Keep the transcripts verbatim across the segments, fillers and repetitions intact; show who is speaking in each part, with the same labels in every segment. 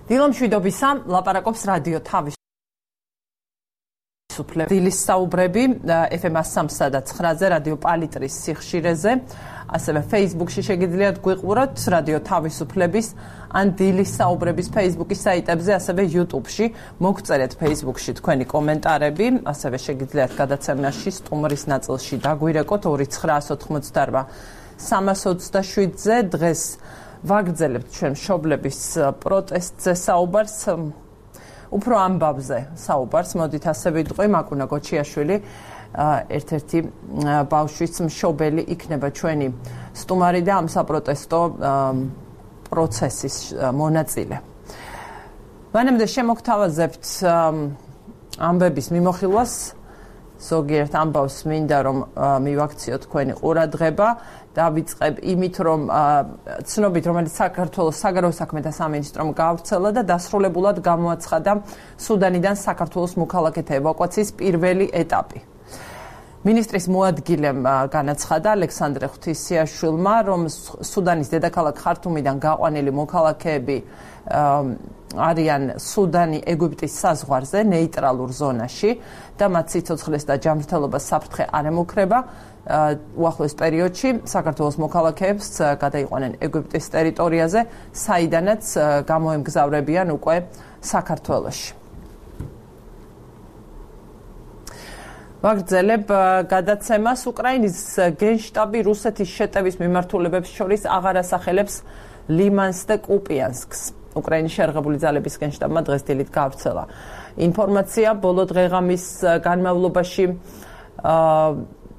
Speaker 1: დილო მშვიდობისა, ლაპარაკობს რადიო თავისუფლება. დილის საუბრები ეფ ემ სამსა და ცხრაზე რადიო პალიტრის სიხშირეზე, ასევე Facebook-ში შეგიძლიათ გვიყუროთ რადიო თავისუფლების ან დილის საუბრების Facebook-ის საიტებზე, ასევე YouTube-ში მოგწერეთ Facebook-ში თქვენი კომენტარები, ასევე შეგიძლიათ გადაცემაში სტუმრის ნაწილში დაგვირეკოთ ორი ცხრა ოთხმოცდარვა სამას ოცდაშვიდზე. დღეს ვაგრძელებთ ჩვენ მშობლების პროტესტზე საუბარს. უფრო ამბავზე საუბარს, მოდით ასე ვიტყვი, მაკუნა გოჩიაშვილი, ერთ-ერთი ბავშვის მშობელი იქნება ჩვენი სტუმარი და ამ საპროტესტო პროცესის მონაწილე. მანამდე შემოგთავაზებთ ამბების მიმოხილვას, ზოგიერთ ამბავს მინდა რომ მივაქციოთ თქვენი ყურადღება. დავიწყებ იმით, რომ ცნობით, რომელიც საქართველოს საგარეო საქმეთა სამინისტრომ გაავრცელა და დასრულებულად გამოაცხადა სუდანიდან საქართველოს მოქალაქეთა ევაკუაციის პირველი ეტაპი. მინისტრის მოადგილემ განაცხადა ალექსანდრე ღვთისიაშვილმა, რომ სუდანის დედაქალაქ ხართუმიდან გაყვანილი მოქალაქეები არიან სუდანი ეგვიპტის საზღვარზე, ნეიტრალურ ზონაში და მათ სიცოცხლეს და ჯანმრთელობას საფრთხე არ ემუქრება. უახლოეს პერიოდში საქართველოს მოქალაქეებს გადაიყვანენ ეგვიპტის ტერიტორიაზე, საიდანაც გამოემგზავრებიან უკვე საქართველოში. ვაგრძელებ გადაცემას. უკრაინის გენშტაბი რუსეთის შეტევის მიმართულებებს შორის აღარ ასახელებს ლიმანს და კუპიანსკს. უკრაინის შეერაღებული ძალების გენშტაბმა დღეს დილით გაავრცელა ინფორმაცია ბოლო დღეღამის განმავლობაში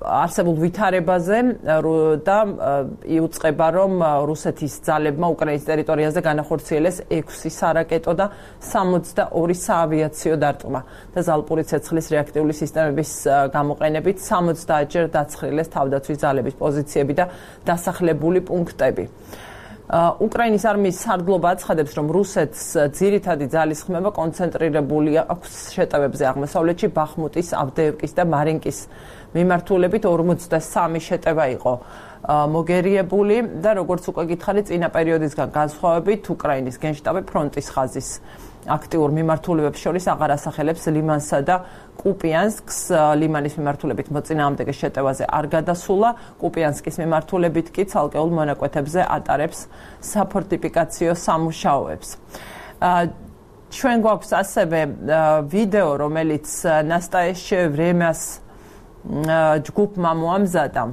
Speaker 1: არსებულ ვითარებაზე და იუწყება, რომ რუსეთის ძალებმა უკრაინის ტერიტორიაზე განახორციელეს ექვსი სარაკეტო და სამოცდაორი საავიაციო დარტყმა და ზალპური ცეცხლის რეაქტიული სისტემების გამოყენებით სამოცდაათჯერ დაცხრილეს თავდაცვის ძალების პოზიციები და დასახლებული პუნქტები. უკრაინის არმიის სარდლობა აცხადებს, რომ რუსეთს ძირითადი ძალის ხმება კონცენტრირებული აქვს შეტევებზე აღმოსავლეთში, ბახმუტის, ავდეევკის და მარინკის მიმართულებით ორმოცდასამი შეტევა იყო მოგერიებული და როგორც უკვე გითხარით, წინა პერიოდისგან განსხვავებით, უკრაინის გენშტაბი ფრონტის ხაზის აქტიურ მიმართულებებს შორის აღარ ასახელებს ლიმანსა და კუპიანსკს. ლიმანის მიმართულებით მოწინააღმდეგე შეტევაზე არ გადასულა, კუპიანსკის მიმართულებით კი ცალკეულ მონაკვეთებზე ატარებს საფორტიფიკაციო სამუშაოებს. ჩვენ გვაქვს ასევე ვიდეო, რომელიც ნასტაეშჩე ვრემიას ჯგუფმა მოამზადა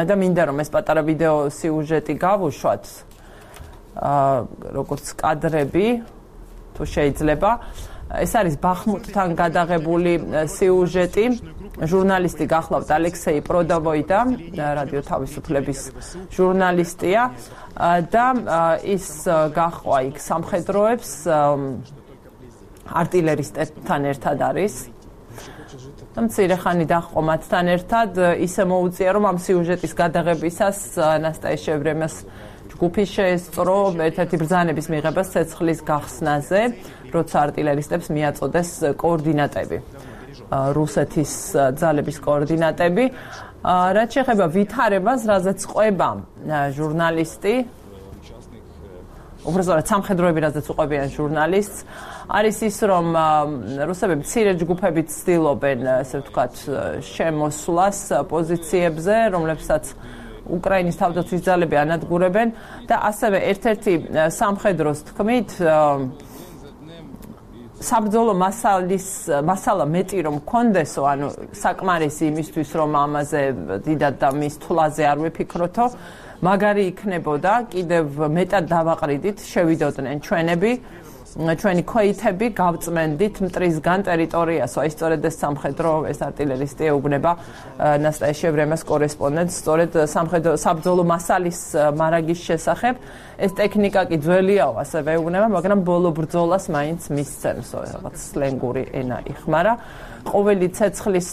Speaker 1: და მინდა რომ ეს პატარა ვიდეო სიუჟეტი გავუშვათ, როგორც კადრები თუ შეიძლება. ეს არის ბახმუტთან გადაღებული სიუჟეტი. ჟურნალისტი გახლავთ ალექსეი პროდავოიდა, რადიო თავისუფლების ჟურნალისტია და ის გაჰყვა იქ სამხედროებს, არტილერისტებთან ერთად არის. და მცირე ხანი დაჰყო მათთან ერთად. ისე მოუწია, რომ ამ სიუჟეტის გადაღებისას ნასტაეშჩე ვრემიას ჯგუფი შეესწრო ერთ-ერთი ბრძანების მიღებას ცეცხლის გახსნაზე, როცა არტილერისტებს მიაწოდეს კოორდინატები, რუსეთის ძალების კოორდინატები. რაც შეეხება ვითარებას, რაზეც ყვება ჟურნალისტი, უბრალოდ სამხედროები, რაზეც უყვებიან ჟურნალისტს, არის ის, რომ რუსები მცირე ჯგუფებით ცდილობენ, ესე ვთქვათ, შემოსვლას პოზიციებზე, რომლებსაც უკრაინის თავდაცვის ძალები ანადგურებენ და ასევე ერთ-ერთი სამხედროს თქმით, საბრძოლო მასალის მასალა მეტი რომ კონდესო, ანუ საკმარისი იმისთვის, რომ ამაზე დიდად და მის თვლაზე არ ვიფიქროთო, მაგარი იქნებოდა, კიდევ მეტად დავაყრიდით, შევიდოდნენ ჩვენები, ჩვენი ქვეითები, გავწმენდით მტრისგან ტერიტორიას. აი სწორედ ეს სამხედრო, ეს არტილერისტი ეუბნება ნასტაეშჩე ვრემიას კორესპონდენტს, სწორედ სამხედრო საბრძოლო მასალის მარაგის შესახებ. ეს ტექნიკა კი ძველიაო, ასევე ეუბნება, მაგრამ ბოლო ბრძოლას მაინც მისცემს, რაღაც სლენგური ენა იხმარა. ყოველი ცეცხლის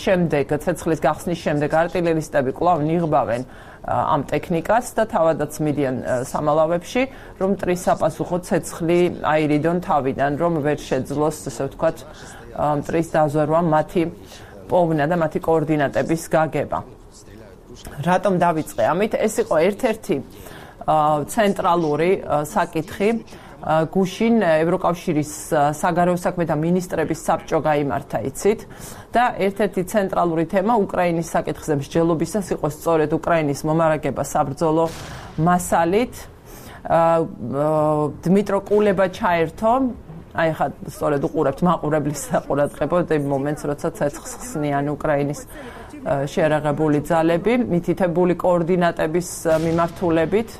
Speaker 1: შემდეგ, ცეცხლის გახსნის შემდეგ არტილერისტები კვლავ ნიღბავენ ამ ტექნიკას და თავადაც მიდიან სამალავებში, რომ მტრის საპასუხო ცეცხლი აირიდონ თავიდან, რომ ვერ შეძლოს, ესე ვთქვათ, მტრის დაზვერვა მათი პოვნა და მათი კოორდინატების გაგება. რატომ დავიწყე ამით? ეს იყო ერთ-ერთი ცენტრალური საკითხი გუშინ ევროკავშირის საგარეო საქმეთა მინისტრების საბჭო გაიმართა იცით და ერთ-ერთი ცენტრალური თემა უკრაინის საკითხზე მსჯელობისას იყო სწორედ უკრაინის მომარაგება საბრძოლო მასალით. დმიტრო კულება ჩაერთო, აი ხა სწორედ უყურებთ მაყურებლის საყურადღებოდ იმ მომენტს, როცა ცეცხლს ხსნიან უკრაინის შეერაღებული ძალები, მითითებული კოორდინატების მიმართულებით.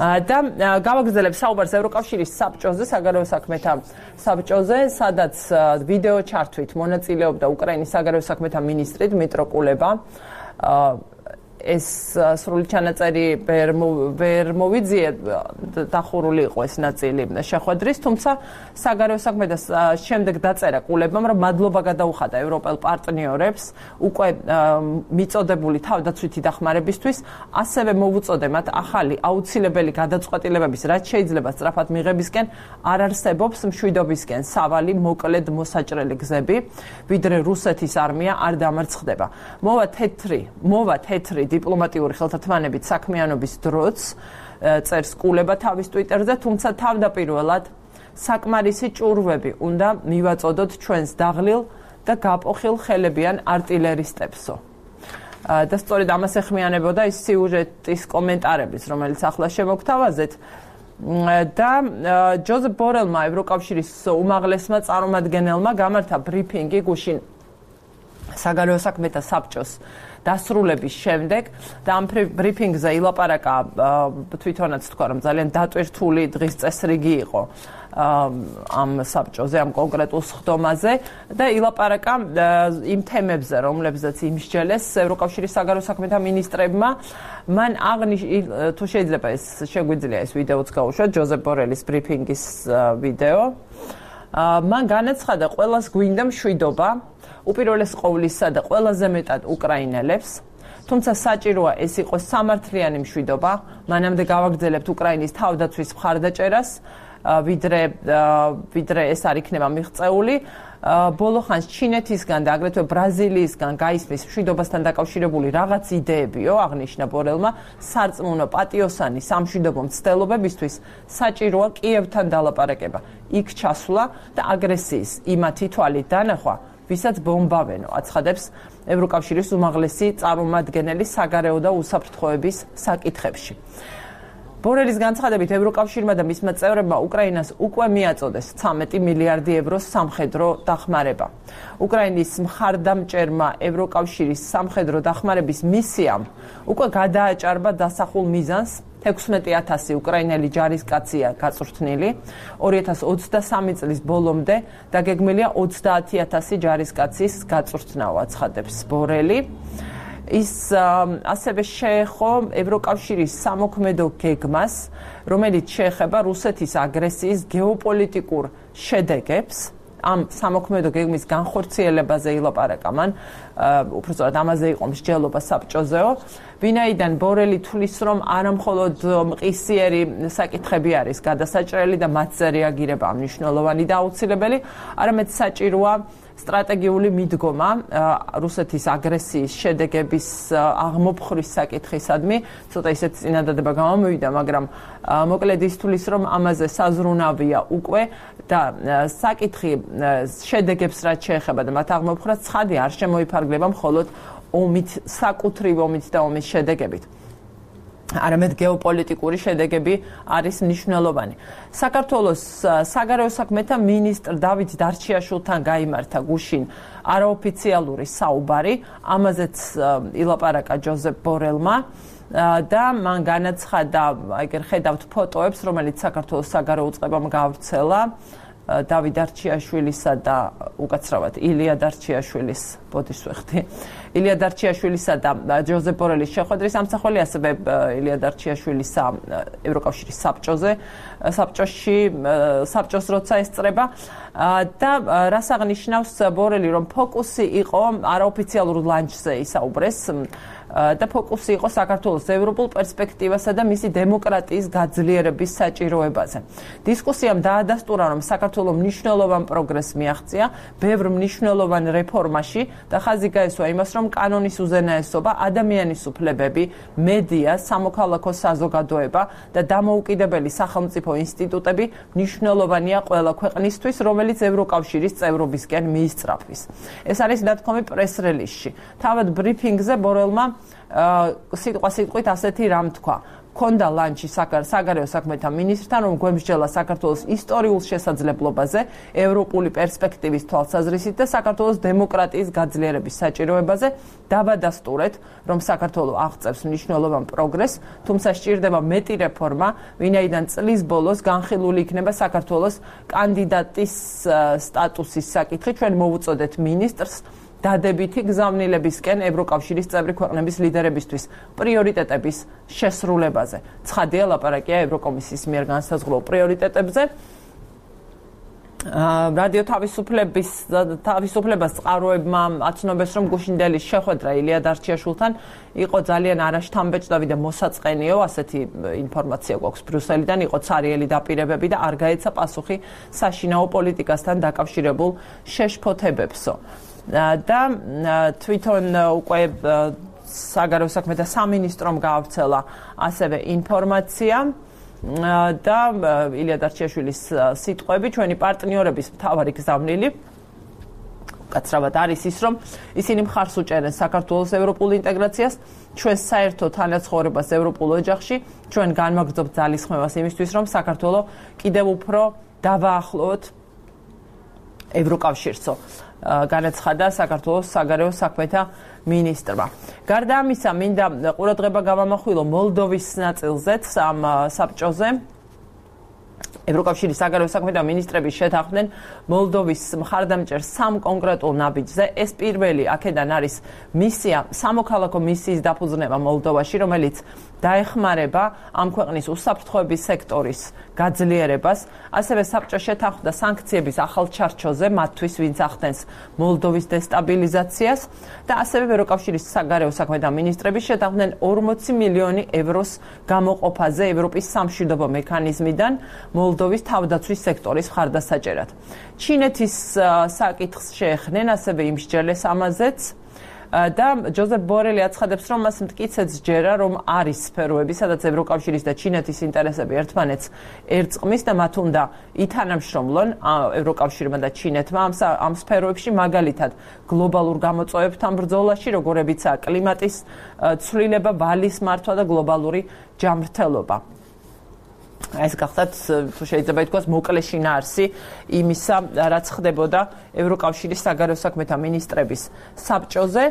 Speaker 1: და გავაგრძელებ საუბარს ევროკავშირის საბჭოზე, საგარეო საქმეთა საბჭოზე, სადაც ვიდეო ჩართვით მონაწილეობდა უკრაინის საგარეო საქმეთა მინისტრი დმიტრო კულება. ეს სრული ჩანაწერი ვერ მოვიძიე, დახურული იყო ეს ნაწილი შეხვედრის, თუმცა საგარეო საქმეთა შემდეგ დაწერა კულებამ, რომ მადლობა გადაუხადა ევროპელ პარტნიორებს უკვე მიწოდებული თავდაცვითი დახმარებისთვის, ასევე მოუწოდე მათ ახალი აუცილებელი გადაწყვეტილებების, რაც შეიძლება სწრაფად მიღებისკენ არ არსებობს მშვიდობისკენ სავალი მოკლედ მოსაჭრელი გზები, ვიდრე რუსეთის არმია არ დამარცხდება. მოვა თეთრი, მოვა თეთრი დიპლომატიური ხელთათმანებით საქმიანობის დროც წერს კულება თავის ტვიტერზე, თუმცა თავდაპირველად საკმარისი ჭურვები უნდა მივაწოდოთ ჩვენს დაღლილ და გაპოხილ ხელებიან არტილერისტებსო. და სწორედ ამას ეხმიანებოდა ის სიუჟეტის კომენტარების, რომელიც ახლა შემოგთავაზეთ. და ჯოზეფ ბორელმა, ევროკავშირის უმაღლესმა წარმომადგენელმა გამართა ბრიფინგი გუშინ საგარეო საქმეთა საბჭოს დასრულების შემდეგ და ამ ბრიფინგზე ილაპარაკა თვითონაც თქვა რომ ძალიან დატვირთული დღის წესრიგი იყო ამ საბჭოზე, ამ კონკრეტულ სხდომაზე და ილაპარაკა იმ თემებზე, რომლებზეც იმსჯელეს ევროკავშირის საგარეო საქმეთა მინისტრებმა. მან აღნიშნა, თუ შეიძლება ეს შეგვიძლია ეს ვიდეოც გავუშვათ, ჯოზეფ ბორელის ბრიფინგის ვიდეო. მან განაცხადა, ყველას გვინდა მშვიდობა, უპირველეს ყოვლისა და ყველაზე მეტად უკრაინელებს, თუმცა საჭიროა ეს იყოს სამართლიანი მშვიდობა, მანამდე გავაგრძელებთ უკრაინის თავდაცვის მხარდაჭერას, ვიდრე ვიდრე ეს არ იქნება მიღწეული. ბოლო ხანს ჩინეთისგან და აგრეთვე ბრაზილიისგან გაისმის მშვიდობასთან დაკავშირებული რაღაც იდეებიო, აღნიშნა ბორელმა, სარწმუნო პატიოსანი სამშვიდობო მცდელობებისთვის საჭიროა კიევთან დალაპარაკება, იქ ჩასვლა და აგრესიის იმათი თვალით დანახვა, ვისაც ბომბავენო, აცხადებს ევროკავშირის უმაღლესი წარმომადგენელი საგარეო და უსაფრთხოების საკითხებში. ბორელის განცხადებით, ევროკავშირმა და მისმა წევრებმა უკრაინას უკვე მიაწოდეს ცამეტი მილიარდი ევროს სამხედრო დახმარება. უკრაინის მხარდამჭერმა ევროკავშირის სამხედრო დახმარების მისიამ უკვე გადააჭარბა დასახულ მიზანს, ექვსმეტი ათასი უკრაინელი ჯარისკაცია გაწვრთნილი, ორი ათას ოცდასამი წლის ბოლომდე დაგეგმილია ოცდაათი ათასი ჯარისკაცის გაწვრთნავა, აცხადებს ბორელი. ის ასევე შეეხო ევროკავშირის სამოქმედო გეგმას, რომელიც შეეხება რუსეთის აგრესიის გეოპოლიტიკურ შედეგებს. ამ სამოქმედო გეგმის განხორციელებაზე ილაპარაკა მან, უბრალოდ ამაზე იყო მსჯელობა საბჭოზეო, ვინაიდან ბორელი თვლის, რომ არა მხოლოდ მყისიერი საკითხები არის გადასაჭრელი და მათზე რეაგირება მნიშვნელოვანი და აუცილებელი, არამედ საჭიროა სტრატეგიული მიდგომა რუსეთის აგრესიის შედეგების აღმოფხვრის საკითხისადმი. ცოტა ისეთ წინადადება გამომივიდა, მაგრამ მოკლედ ის თulis რომ ამაზე საზრუნავია უკვე და საკითხი შედეგებს რაც შეეხება და მათ აღმოფხვრას ცხადი არ შემოიფარგლება მხოლოდ ომით, საკუთრივ ომით და ომის შედეგებით. არამედ გეოპოლიტიკური შედეგები არის მნიშვნელოვანი. საქართველოს საგარეო საქმეთა მინისტრ დავით დარჩიაშვილთან გაიმართა გუშინ არაოფიციალური საუბარი, ამაზეც ილაპარაკა ჯოზეფ ბორელმა და მან განაცხადა, ეგერ ხედავთ ფოტოებს, რომელიც საქართველოს საგარეო უწყებამ გავრცელა დავით დარჩიაშვილისა და უკაცრავად ილია დარჩიაშვილის ბოდიშს ვეხდი. ილია დარჩიაშვილისა და ჯოზეფ ბორელის შეხვედრის ამსახველი, ასევე ილია დარჩიაშვილისა ევროკავშირის საბჭოზე, საბჭოში, საბჭოს როცა ესწრება და რას აღნიშნავს ბორელი, რომ ფოკუსი იყო არაოფიციალურ ლანჩზე ისაუბრეს და ფოკუსი იყო საქართველოს ევროპულ პერსპექტივასა და მისი დემოკრატიის გაძლიერების საჭიროებაზე. დისკუსიამ დაადასტურა, რომ საქართველოს მნიშვნელოვან პროგრესს მიაღწია ბევრ მნიშვნელოვან რეფორმაში და ხაზი გაესვა იმას, რომ კანონის უზენაესობა, ადამიანის უფლებები, მედია, სამოქალაქო საზოგადოება და დამოუკიდებელი სახელმწიფო ინსტიტუტები მნიშვნელოვანია ყველა ქვეყნისთვის, რომელიც ევროკავშირის წევრობისკენ მიისწრაფვის. ეს არის ნათქვამი პრეს-რელიზში. თავად ბრიფინგზე ბორელმა სიტყვა-სიტყვით ასეთი რამ თქვა. ქონდა ლანჩი საგარეო საქმეთა მინისტრთან, რომ გვემსჯელა საქართველოს ისტორიულ შესაძლებლობაზე, ევროპული პერსპექტივის თვალსაზრისით და საქართველოს დემოკრატიის გაძლიერების საჭიროებაზე. დავადასტურეთ, რომ საქართველო აღწევს მნიშვნელოვან პროგრესს, თუმცა სჭირდება მეტი რეფორმა, ვინაიდან წლის ბოლოს განხილული იქნება საქართველოს კანდიდატის სტატუსის საკითხი. ჩვენ მოვუწოდეთ მინისტრს დადებითი გზავნილებისკენ ევროკავშირის წევრი ქვეყნების ლიდერებისთვის პრიორიტეტების შესრულებაზე. ცხადია, ლაპარაკია ევროკომისიის მიერ განსაზღვრულ პრიორიტეტებზე. რადიო თავისუფლების თავისუფლებას წყაროებმა აცნობეს, რომ გუშინდელის შეხვედრა ილია დარჩიაშვილთან იყო ძალიან არაშთამბეჭდავი და მოსაწყენიო, ასეთი ინფორმაცია გვაქვს ბრიუსელიდან, იყო ცარიელი დაპირებები და არ გაეცა პასუხი საშინაო პოლიტიკასთან დაკავშირებულ შეშფოთებებსო. და თვითონ უკვე საგარეო საქმეთა სამინისტრომ გაავრცელა ასევე ინფორმაცია და ილია დარჩიაშვილის სიტყვები, ჩვენი პარტნიორების მთავარი გზავნილი კაცრავად არის ის, რომ ისინი მხარს უჭერენ საქართველოს ევროპულ ინტეგრაციას, ჩვენ საერთო თანაცხოვრებას ევროპულ ოჯახში, ჩვენ განვაგრძობთ ძალისხმევას იმისთვის, რომ საქართველო კიდევ უფრო დავაახლოვოთ ევროკავშირსო. განაცხადა საქართველოს საგარეო საქმეთა მინისტრმა. გარდა ამისა, მინდა ყურადღება გავამახვილო მოლდოვის ნაწილზეც ამ საბჭოზე. ევროკავშირის საგარეო საქმეთა მინისტრები შეთანხმდნენ მოლდოვის მხარდამჭერ სამ კონკრეტულ ნაბიჯზე. ეს პირველი აქედან არის მისია, სამოქალაქო მისიის დაფუძნება მოლდოვაში, რომელიც დაეხმარება ამ ქვეყნის უსაფრთხოების სექტორის გაძლიერებას. ასევე საბჭო შეთანხმდა სანქციების ახალ ჩარჩოზე მათთვის, ვინც ახდენს მოლდოვის დესტაბილიზაციას და ასევე ევროკავშირის საგარეო საქმეთა მინისტრები შეთანხმდნენ ორმოცი მილიონი ევროს გამოყოფაზე ევროპის სამშვიდობო მექანიზმიდან მოლდოვის თავდაცვის სექტორის მხარდასაჭერად. ჩინეთის საკითხს შეეხნენ, ასევე იმსჯელეს ამაზეც. და ჯოზეფ ბორელი აცხადებს, რომ მას მტკიცედ სჯერა, რომ არის სფეროები, სადაც ევროკავშირის და ჩინეთის ინტერესები ერთმანეთს ერწყმის და მათ უნდა ითანამშრომლონ ევროკავშირმა და ჩინეთმა ამ სფეროებში, მაგალითად გლობალურ გამოწვევებთან ბრძოლაში, როგორებიცაა კლიმატის ცვლილება, ვალის მართვა და გლობალური ჯანმრთელობა. ეს გახდათ, თუ შეიძლება ითქვას, მოკლე შინაარსი იმისა, რაც ხდებოდა ევროკავშირის საგარეო საქმეთა მინისტრების საბჭოზე.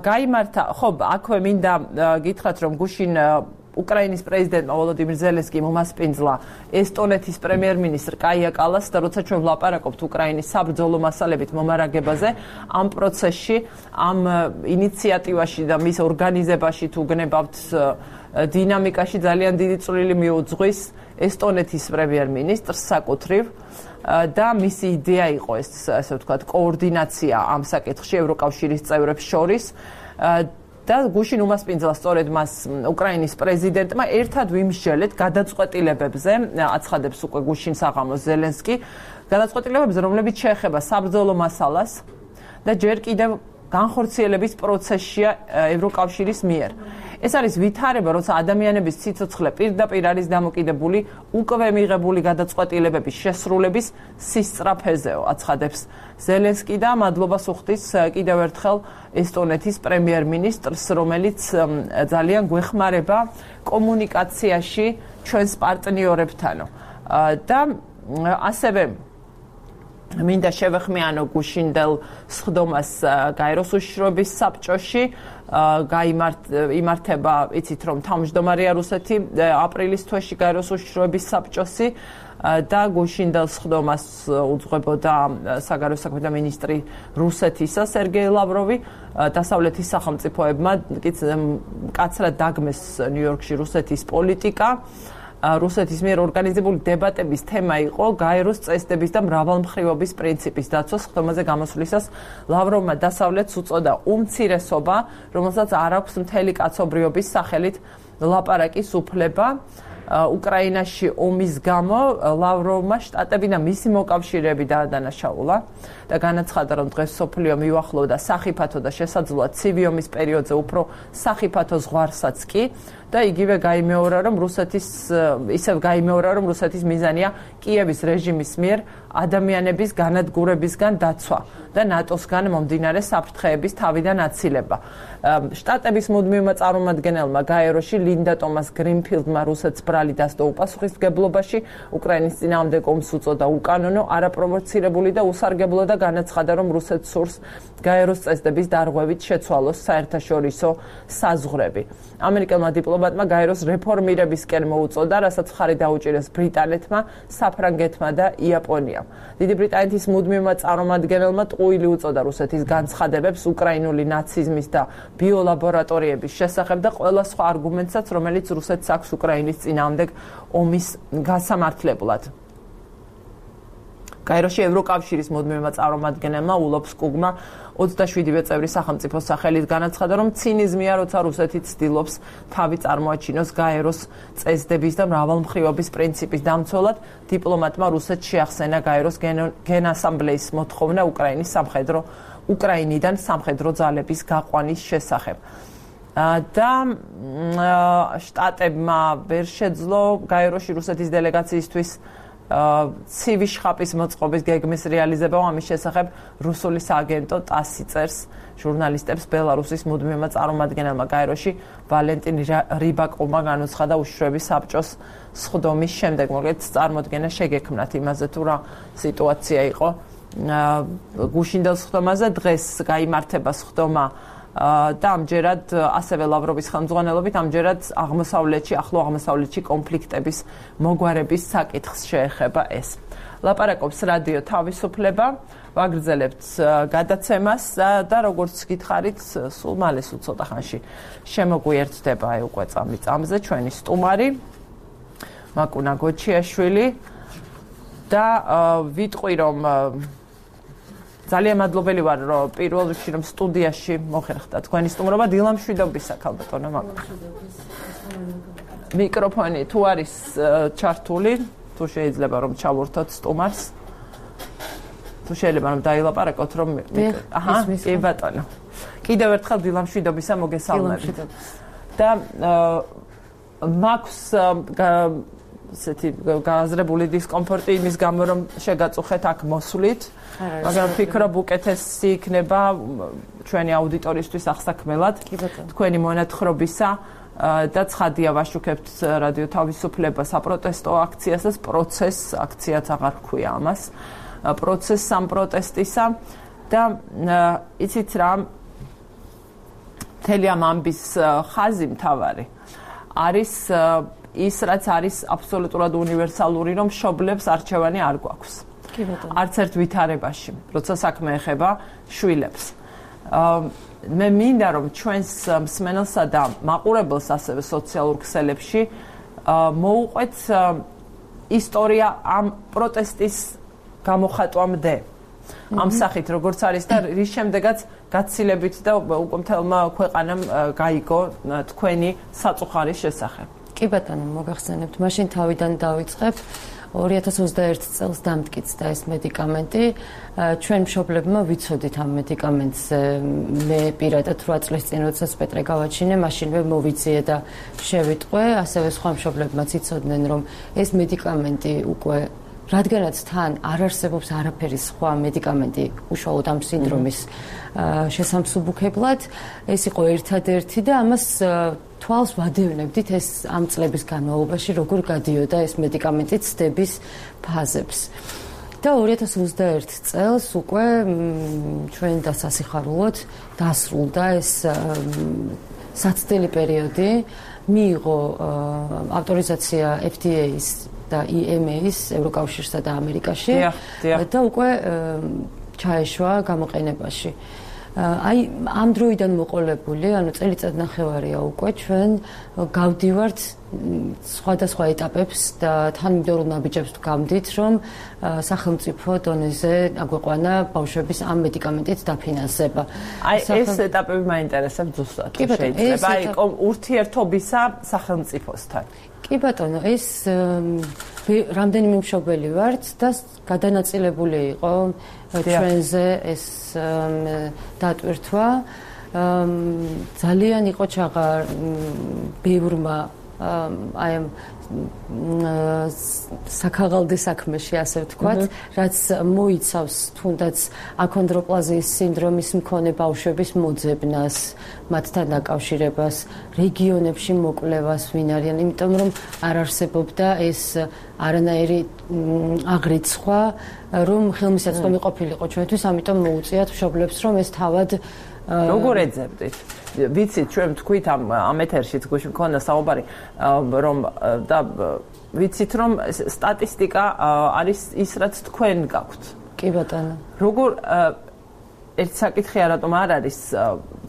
Speaker 1: გაიმართა, ხო, აქვე მინდა გითხრათ, რომ გუშინ უკრაინის პრეზიდენტმა ვოლოდიმირ ზელენსკიმ უმასპინძლა ესტონეთის პრემიერ-მინისტრ კაია კალას და როცა ჩვენ ვლაპარაკობთ უკრაინის საბრძოლო მასალებით მომარაგებაზე, ამ პროცესში, ამ ინიციატივაში და მის ორგანიზებაში თუ გნებავთ დინამიკაში ძალიან დიდი წვლილი მიუძღვის ესტონეთის პრემიერ-მინისტრს საკუთრივ და მისი იდეა იყო ეს, ასე ვთქვათ, კოორდინაცია ამ საკითხში ევროკავშირის წევრებს შორის და გუშინ უმასპინძლა სწორედ მას უკრაინის პრეზიდენტმა ერთად ვიმსჯელეთ გადაწყვეტილებებზე, აცხადებს უკვე გუშინ საღამოს ზელენსკი, გადაწყვეტილებებზე, რომლებიც შეეხება საბრძოლო მასალას და ჯერ კიდევ განხორციელების პროცესშია ევროკავშირის მიერ. ეს არის ვითარება, როცა ადამიანების სიცოცხლე პირდაპირ არის დამოკიდებული უკვე მიღებული გადაწყვეტილებების შესრულების სისწრაფეზეო, აცხადებს ზელენსკი და მადლობას უხდის კიდევ ერთხელ ესტონეთის პრემიერ-მინისტრს, რომელიც ძალიან გვეხმარება კომუნიკაციაში ჩვენს პარტნიორებთანო. და ასევე მინდა შევეხმიანო გუშინდელ სხდომას გაეროს უშიშროების საბჭოში, იმართება, იცით რომ თავმჯდომარეა რუსეთი აპრილის თვეში გაეროს უშიშროების საბჭოსი და გუშინდელ სხდომას უძღვებოდა საგარეო საქმეთა მინისტრი რუსეთისა სერგეი ლავროვი, დასავლეთის სახელმწიფოებმა მკაცრად დაგმეს ნიუ-იორკში რუსეთის პოლიტიკა რუსეთის მიერ ორგანიზებული დებატების თემა იყო გაეროს წესდების და მრავალმხრივობის პრინციპის დაცვა. სხდომაზე გამოსვლისას ლავროვმა დასავლეთს უწოდა უმცირესობა, რომელსაც არ აქვს მთელი კაცობრიობის სახელით ლაპარაკის უფლება. უკრაინაში ომის გამო ლავროვმა შტატები და მისი მოკავშირეები დაადანაშაულა და განაცხადა, რომ დღეს მსოფლიო მიუახლოვდა სახიფათო და შესაძლოა ცივი ომის პერიოდზე უფრო სახიფათო ზღვარსაც კი და იგივე გაიმეორა, რომ რუსეთის ისევ გაიმეორა, რომ რუსეთის მიზანია კიევის რეჟიმის მიერ ადამიანების განადგურებისგან დაცვა და ნატოსგან მომდინარე საფრთხეების თავიდან აცილება. შტატების მუდმივმა წარმომადგენელმა გაეროში ლინდა ტომას გრინფილდმა რუსეთს ბრალი დასდო უპასუხისმგებლობაში, უკრაინის წინააღმდეგ ომს უწოდა უკანონო, არაპროვოცირებული და უსარგებლო და განაცხადა, რომ რუსეთს სურს გაეროს წესდების დარღვევით შეცვალოს საერთაშორისო საზღვრები. ამერიკელმა დიპლომატმა გაეროს რეფორმირებისკენ მოუწოდა, რასაც მხარი დაუჭირეს ბრიტანეთმა, საფრანგეთმა და იაპონიამ. დიდი ბრიტანეთის მუდმივმა წარმომადგენელმა ტყუილი უწოდა რუსეთის განცხადებებს უკრაინული ნაციზმის და ბიოლაბორატორიების შესახებ და ყველა სხვა არგუმენტსაც, რომელიც რუსეთს აქვს უკრაინის წინააღმდეგ ომის გასამართლებლად. გაეროში ევროკავშირის მუდმივმა წარმომადგენელმა ულოფსკუგმა ოცდაშვიდივე წევრი სახელმწიფოს სახელით განაცხადა, რომ ცინიზმია, როცა რუსეთი ცდილობს თავი წარმოაჩინოს გაეროს წესდების და მრავალმხრივობის პრინციპის დამცველად, დიპლომატმა რუსეთს შეახსენა გაეროს გენასამბლეის მოთხოვნა უკრაინის სამხედრო უკრაინიდან სამხედრო ძალების გაყვანის შესახებ. და შტატებმა ვერ შეძლო გაეროში რუსეთის დელეგაციისთვის ცივი შხაპის მოწყობის გეგმის რეალიზება, ამის შესახებ რუსული სააგენტო ტასი წერს ჟურნალისტებს. ბელარუსის მუდმივმა წარმომადგენელმა გაეროში ვალენტინ რიბაკოვმა განუცხადა უშუალო საბჭოს სხდომის შემდეგ, მოკლედ წარმოდგენა შეგექმნათ იმაზე, თუ რა სიტუაცია იყო გუშინდელ სხდომაზე. დღეს გაიმართება სხდომა და ამჯერად ასევე ლავროვის ხელმძღვანელობით ამჯერად აღმოსავლეთში, ახლო აღმოსავლეთში კონფლიქტების მოგვარების საკითხს შეეხება ეს. ლაპარაკობს რადიო თავისუფლება, ვაგრძელებთ გადაცემას და როგორც გითხარით, სულ მალე სულ ცოტა ხანში შემოგვიერთდება აი უკვე წამი წამზე ჩვენი სტუმარი მაკუნა გოჩიაშვილი და ვიტყვი, რომ ძალიან მადლობელი ვარ, რომ პირველ რიგში რომ სტუდიაში მოხერხდა თქვენი სტუმრობა. დილა მშვიდობისა, ქალბატონო მაკუნა. მიკროფონი თუ არის ჩართული, თუ შეიძლება რომ ჩავურთოთ სტუმარს. თუ შეიძლება რომ დაილაპარაკოთ, რომ აჰა, კი ბატონო. კიდევ ერთხელ დილა მშვიდობისა, მოგესალმებით. და მაქვს ესეთი გააზრებული დისკომფორტი იმის გამო, რომ შეგაწუხეთ აქ მოსვლით. მაგრამ ვფიქრობ, უკეთესი იქნება ჩვენი აუდიტორიისთვის აღსაქმელად თქვენი მონათხრობისა და ცხადია ვაშუქებთ რადიო თავისუფლება საპროტესტო აქციას და პროცესს, აქციაც აღარ ქვია ამას, პროცესს ამ პროტესტისა და იცით რა, მთელი ამ ამბის ხაზი მთავარი არის ის, რაც არის აბსოლუტურად უნივერსალური, რომ მშობლებს არჩევანი არ გვაქვს. არც ერთ ვითარებაში, როცა საქმე ეხება შვილებს. მე მინდა, რომ ჩვენს მსმენელსა და მაყურებელს ასევე სოციალურ ქსელებში მოუყვეთ ისტორია ამ პროტესტის გამოხატვამდე. ამ სახით, როგორც არის და რის შემდეგაც გაცილებით და უკვე მთელმა ქვეყანამ გაიგო თქვენი საწუხარის შესახებ.
Speaker 2: კი ბატონო, მოგახსენებთ, მაშინ თავიდან დავიწყებ. ორი ათას ოცდაერთი წელს დამტკიცდა ეს მედიკამენტი. ჩვენ მშობლებმა ვიცოდით ამ მედიკამენტს. მე პირადად რვა წლის წინ, როდესაც პეტრე გავაჩინე, მაშინვე მოვიძიე და შევიტყვე. ასევე სხვა მშობლებმაც იცოდნენ, რომ ეს მედიკამენტი უკვე რადგანაც თან არ არსებობს არაფერი სხვა მედიკამენტი უშუალოდ ამ სინდრომის შესამსუბუქებლად, ეს იყო ერთადერთი და ამას თვალს ვადევნებდით ეს ამ წლების განმავლობაში როგორ გადიოდა ეს მედიკამენტი ცდების ფაზებს. და ორი ათას ოცდაერთი წელს უკვე ჩვენ დასასიხარულოდ დასრულდა ეს საცდელი პერიოდი, მიიღო ავტორიზაცია F D A-ის და E M A-ის ევროკავშირსა და ამერიკაში და უკვე ჩაეშვა გამოყენებაში. აი ამ დროიდან მოყოლებული, ანუ წელიწად ნახევარია უკვე ჩვენ გავდივართ სხვადასხვა ეტაპებს და თანმიმდევრულ ნაბიჯებს გავდით, რომ სახელმწიფო დონეზე აგვეყვანა ბავშვების ამ მედიკამენტით დაფინანსება.
Speaker 1: აი ეს ეტაპები მაინტერესებს ზუსტად. შეიძლება აი ურთიერთობისა სახელმწიფოსთან.
Speaker 2: კი ბატონო, ეს რამდენიმე მშობელი ვართ და გადანაწილებული იყო ჩვენზე ეს დატვირთვა. ძალიან იყო ჩაღა ბევრმა აი ამ საქაღალდე საქმეში, ასე ვთქვათ, რაც მოიცავს თუნდაც აქონდროპლაზიის სინდრომის მქონე ბავშვების მოძებნას, მათთან დაკავშირებას, რეგიონებში მოკვლევას, ვინ არიან, იმიტომ რომ არ არსებობდა ეს არანაირი აღრიცხვა, რომ ხელმისაწვდომი ყოფილიყო ჩვენთვის, ამიტომ მოუწიათ მშობლებს, რომ ეს თავად
Speaker 1: როგორ ეძებდით? ვიცით, ჩვენ თქვით ამ ამ ეთერშიც გუშინ მქონდა საუბარი, რომ და ვიცით, რომ სტატისტიკა არის ის, რაც თქვენ გაქვთ.
Speaker 2: კი ბატონო.
Speaker 1: როგორ ერთ საკითხია, რატომ არ არის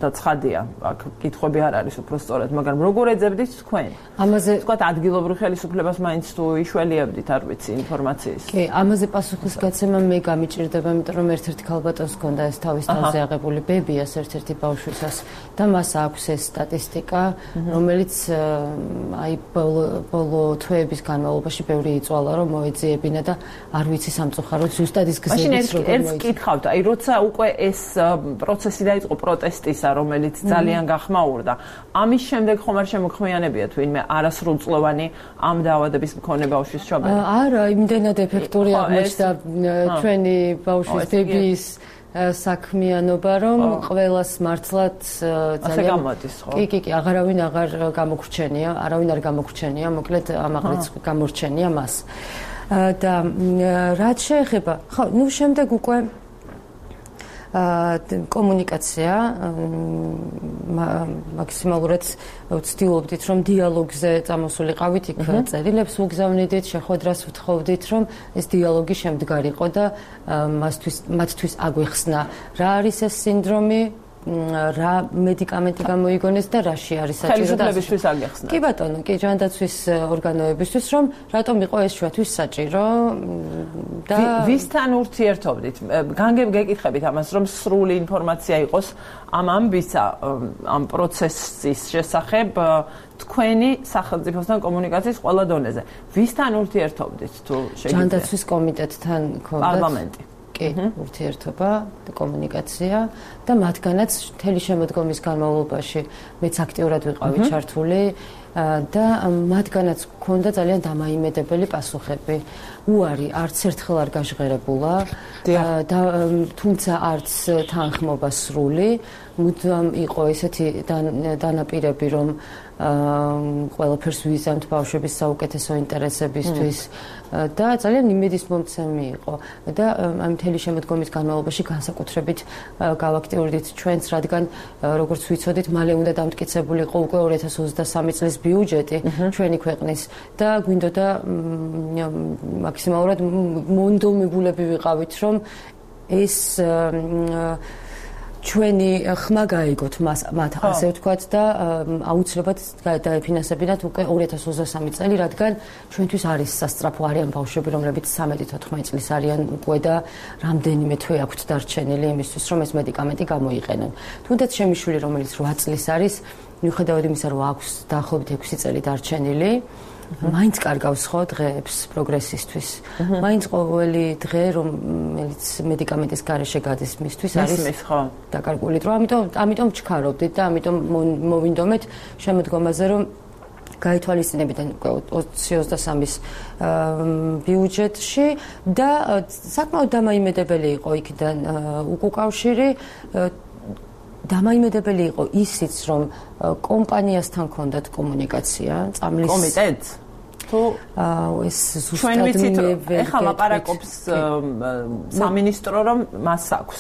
Speaker 1: და ცხადია, აქ კითხვები არ არის უფრო სწორად, მაგრამ როგორ ეძებდით თქვენ?
Speaker 2: ამაზე
Speaker 1: თქვათ ადგილობრივ ხელისუფლებას მაინც თუ იშველიებდით, არ ვიცი, ინფორმაციის.
Speaker 2: კი, ამაზე პასუხის გაცემა მე გამიჭირდება, იმიტომ რომ ერთ-ერთი ქალბატონს ჰქონდა ეს თავის თავზე აღებული ბებიას ერთ-ერთი ბავშვისას და მას აქვს ეს სტატისტიკა, რომელიც აი ბოლო თვეების განმავლობაში ბევრი იწვალა, რომ მოეძიებინა და არ ვიცი სამწუხაროდ ზუსტად ის გზების
Speaker 1: როგორ მოეძიებინა. მაშინ ერთს კითხავთ, აი როცა უკვე ეს პროცესი დაიწყო პროტესტისა, რომელიც ძალიან გახმაურდა. ამის შემდეგ ხომ არ შემოქმიანებიათ ვინმე არასრულწლოვანი ამ დაავადების მქონე ბავშვის მშობელი?
Speaker 2: არა, იმდენად ეფექტური აღმოჩნდა ჩვენი ბავშვის ბებიის საქმიანობა, რომ ყველას მართლაც ძალიან კი, კი, კი, აღარავინ აღარ გამოგრჩენია, არავინ არ გამოგრჩენია, მოკლედ ამაღლიც გამორჩენია მას. და რაც შეეხება, ხო, ნუ შემდეგ უკვე კომუნიკაცია მაქსიმალურად ვცდილობდით, რომ დიალოგზე წამოსულიყავით, იქ წერილებს ვუგზავნიდით, შეხვედრას ვთხოვდით, რომ ეს დიალოგი შემდგარიყო და მასთვის მათთვის აგვეხსნა რა არის ეს სინდრომი, რა მედიკამენტი გამოიგონეს და რაში არის საჭირო და
Speaker 1: ხელისუფლებისთვის აგეხსნა.
Speaker 2: კი ბატონო, კი ჯანდაცვის ორგანოებისთვის, რომ რატომ იყო ეს ჩვენთვის საჭირო და
Speaker 1: ვისთან ურთიერთობდით? განგებ გეკითხებით ამას, რომ სრული ინფორმაცია იყოს ამ ამბისა, ამ პროცესის შესახებ თქვენი სახელმწიფოსთან კომუნიკაციის ყველა დონეზე. ვისთან ურთიერთობდით თუ შეგიძლიათ?
Speaker 2: ჯანდაცვის კომიტეტთან ქონდათ
Speaker 1: პარლამენტი.
Speaker 2: ურთიერთობა და კომუნიკაცია და მათგანაც მთელი შემოდგომის განმავლობაში მეც აქტიურად ვიყავი ჩართული და მათგანაც ქონდა ძალიან დამაიმედებელი პასუხები. უარი არც ერთხელ არ გაჟღერებულა და თუმცა არც თანხმობა სრული, მუდამ იყო ესეთი დანაპირები, რომ ყველაფერს ვიზამთ ბავშვების საუკეთესო ინტერესებისთვის და ძალიან იმედის მომცემი იყო და ამ მთელი შემოდგომის განმავლობაში განსაკუთრებით გავაქტიურდით ჩვენს, რადგან როგორც ვიცოდით, მალე უნდა დამტკიცებულიყო უკვე ორი ათას ოცდასამი წლის ბიუჯეტი ჩვენი ქვეყნის და გვინდოდა მაქსიმალურად მონდომებულები ვიყავით, რომ ეს ჩვენი ხმა გაიგოთ მათ, ასე ვთქვათ და აუცილებლად დაეფინანსებინათ უკვე ორი ათას ოცდასამი წელი, რადგან ჩვენთვის არის სასწრაფო, არიან ბავშვები, რომლებიც სამეტი თოთხმეტი წლის არიან უკვე და რამდენიმე თვე აქვთ დარჩენილი იმისთვის, რომ ეს მედიკამენტი გამოიყენონ. თუნდაც ჩემი შვილი, რომელიც რვა წლის არის, მიუხედავად იმისა, რომ აქვს დაახლოებით ექვსი წელი დარჩენილი, მაინც კარგავს ხო დღეებს პროგრესისთვის. მაინც ყოველი დღე, რომელიც მედიკამენტის გარეშე გადის მისთვის, არის დაკარგული დრო. ამიტომ ამიტომ ვჩქარობდით და ამიტომ მოვინდომეთ შემოდგომაზე, რომ გაითვალისწინებიდან ოცი ოცდასამის ბიუჯეტში და საკმაოდ დამაიმედებელი იყო იქიდან უკავშირი. დამაიმედებელი იყო ისიც, რომ კომპანიასთან ჰქონდათ კომუნიკაცია, წამლის
Speaker 1: კომიტეტს თუ
Speaker 2: ეს ზუსტად მე
Speaker 1: ეხლა ლაპარაკობს სამინისტრო, რომ მას აქვს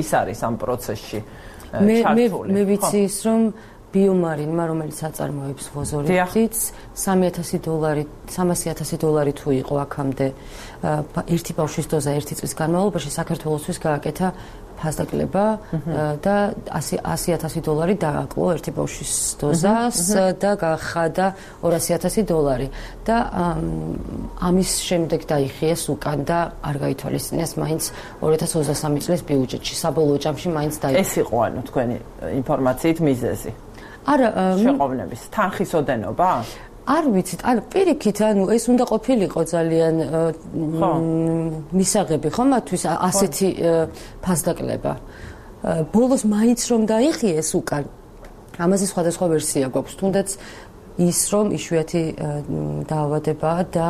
Speaker 1: ის არის ამ პროცესში ჩართული.
Speaker 2: მე ვიცი ის, რომ ბიომარინმა, რომელიც აწარმოებს ვოზორიდიც, სამი ათასი დოლარი, სამასი ათასი დოლარი თუ იყო აქამდე ერთი ბავშვის დოზა ერთი წლის განმავლობაში საქართველოსთვის გააკეთა ფასდაკლება და ასი ათასი დოლარი დააკლო ერთი ბავშვის დოზას და გახადა ორასი ათასი დოლარი და ამის შემდეგ დაიხიეს უკან და არ გაითვალისწინეს მაინც ორი ათას ოცდასამი წლის ბიუჯეტში საბოლოო ჯამში მაინც დაიხიეს.
Speaker 1: ეს იყო ანუ თქვენი ინფორმაციით მიზეზი.
Speaker 2: არა,
Speaker 1: შეყოვნების თანხის ოდენობა?
Speaker 2: არ ვიცით, ანუ პირიქით, ანუ ეს უნდა ყოფილიყო ძალიან მისაღები ხო მათთვის ასეთი ფასდაკლება. ბოლოს მაინც რომ დაიხიეს უკან. ამაზე სხვადასხვა ვერსია გვაქვს, თუნდაც ის რომ იშვიათი დაავადებაა და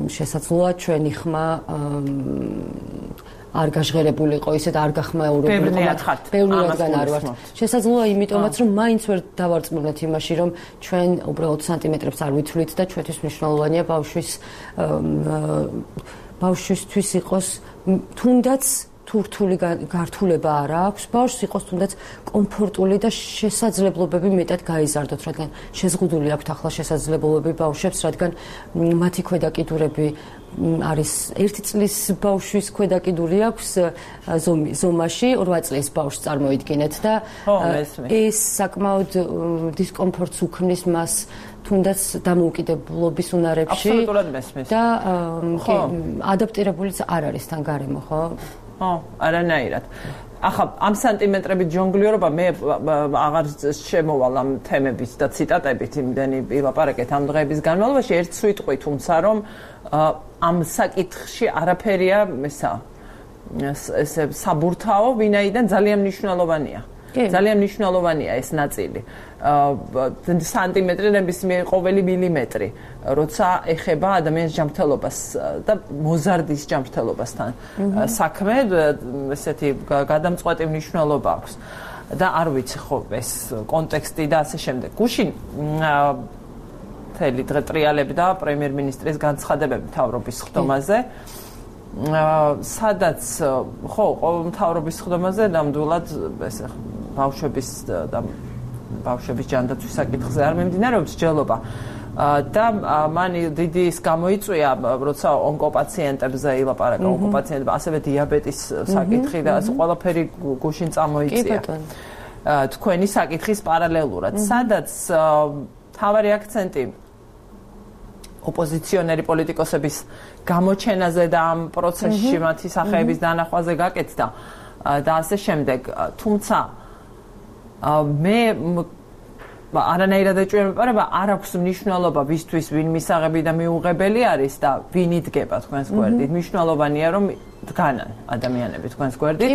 Speaker 2: შესაძლოა ჩვენი ხმა არ გაჟღერებულიყო ისე და არ გახმაურებულიყო. ბევრი რადგან არ ვართ. შესაძლოა იმიტომაც რომ მაინც ვერ დავარწმუნეთ იმაში რომ ჩვენ უბრალოდ სანტიმეტრებს არ ვითვლით და ჩვენთვის მნიშვნელოვანია ბავშვის ბავშვისთვის იყოს თუნდაც თურთული გართულება არ აქვს, ბავშვს იყოს თუნდაც კომფორტული და შესაძლებლობები მეტად გაიზარდოთ, რადგან შეზღუდული აქვთ ახლა შესაძლებლობები ბავშვებს, რადგან მათი ქვედაკიდურები არის ერთი წლის ბავშვის ქვედაკიდური აქვს ზომაში, რვა წლის ბავშვს წარმოიდგინეთ და ეს საკმაოდ დისკომფორტს უქმნის მას თუნდაც დამოუკიდებლობის უნარებში და ადაპტირებულიც არ არის თან გარემო, ხო?
Speaker 1: ხო, არანაირად. ახლა ამ სანტიმეტრებით ჯონგლიორობა მე აღარ შემოვალ ამ თემების და ციტატებით იმდენი ვილაპარაკეთ ამ დღეების განმავლობაში ერთ სიტყვით, თუმცა რომ ამ საკითხში არაფერია ესა ესე საბურთაო, ვინაიდან ძალიან მნიშვნელოვანია. ძალიან მნიშვნელოვანია ეს ნაწილი. სანტიმეტრი ნებისმიერ ყოველი მილიმეტრი, როცა ეხება ადამიანის ჯანმრთელობას და მოზარდის ჯანმრთელობასთან საქმე, ესეთი გადამწყვეტი მნიშვნელობა აქვს. და არ ვიცი ხო ეს კონტექსტი და ასე შემდეგ. გუშინ მთელი დღე ტრიალებდა პრემიერ-მინისტრის განცხადებები მთავრობის ხდომაზე. სადაც ხო მთავრობის ხდომაზე ნამდვილად ესე ბავშვების და ბავშვების ჯანდაცვის საკითხზე არ მიმდინარეობს ჯელობა და მან დიდი ის გამოიწვია როცა ონკოპაციენტებზე ილაპარაკა ონკოპაციენტები ასევე დიაბეტის საკითხი და ყველაფერი გუშინ წამოიწია თქვენი საკითხის პარალელურად სადაც თავარი აქცენტი ოპოზიციონერი პოლიტიკოსების გამოჩენაზე და ამ პროცესში მათი სახეების დანახვაზე გაკეთდა და ასე შემდეგ. თუმცა მე არანაირად ეჭვია მეპარება, არ აქვს მნიშვნელობა ვისთვის ვინ მისაღები და მიუღებელი არის და ვინ იდგება თქვენს გვერდით. მნიშვნელოვანია რომ დგანან ადამიანები თქვენს გვერდით.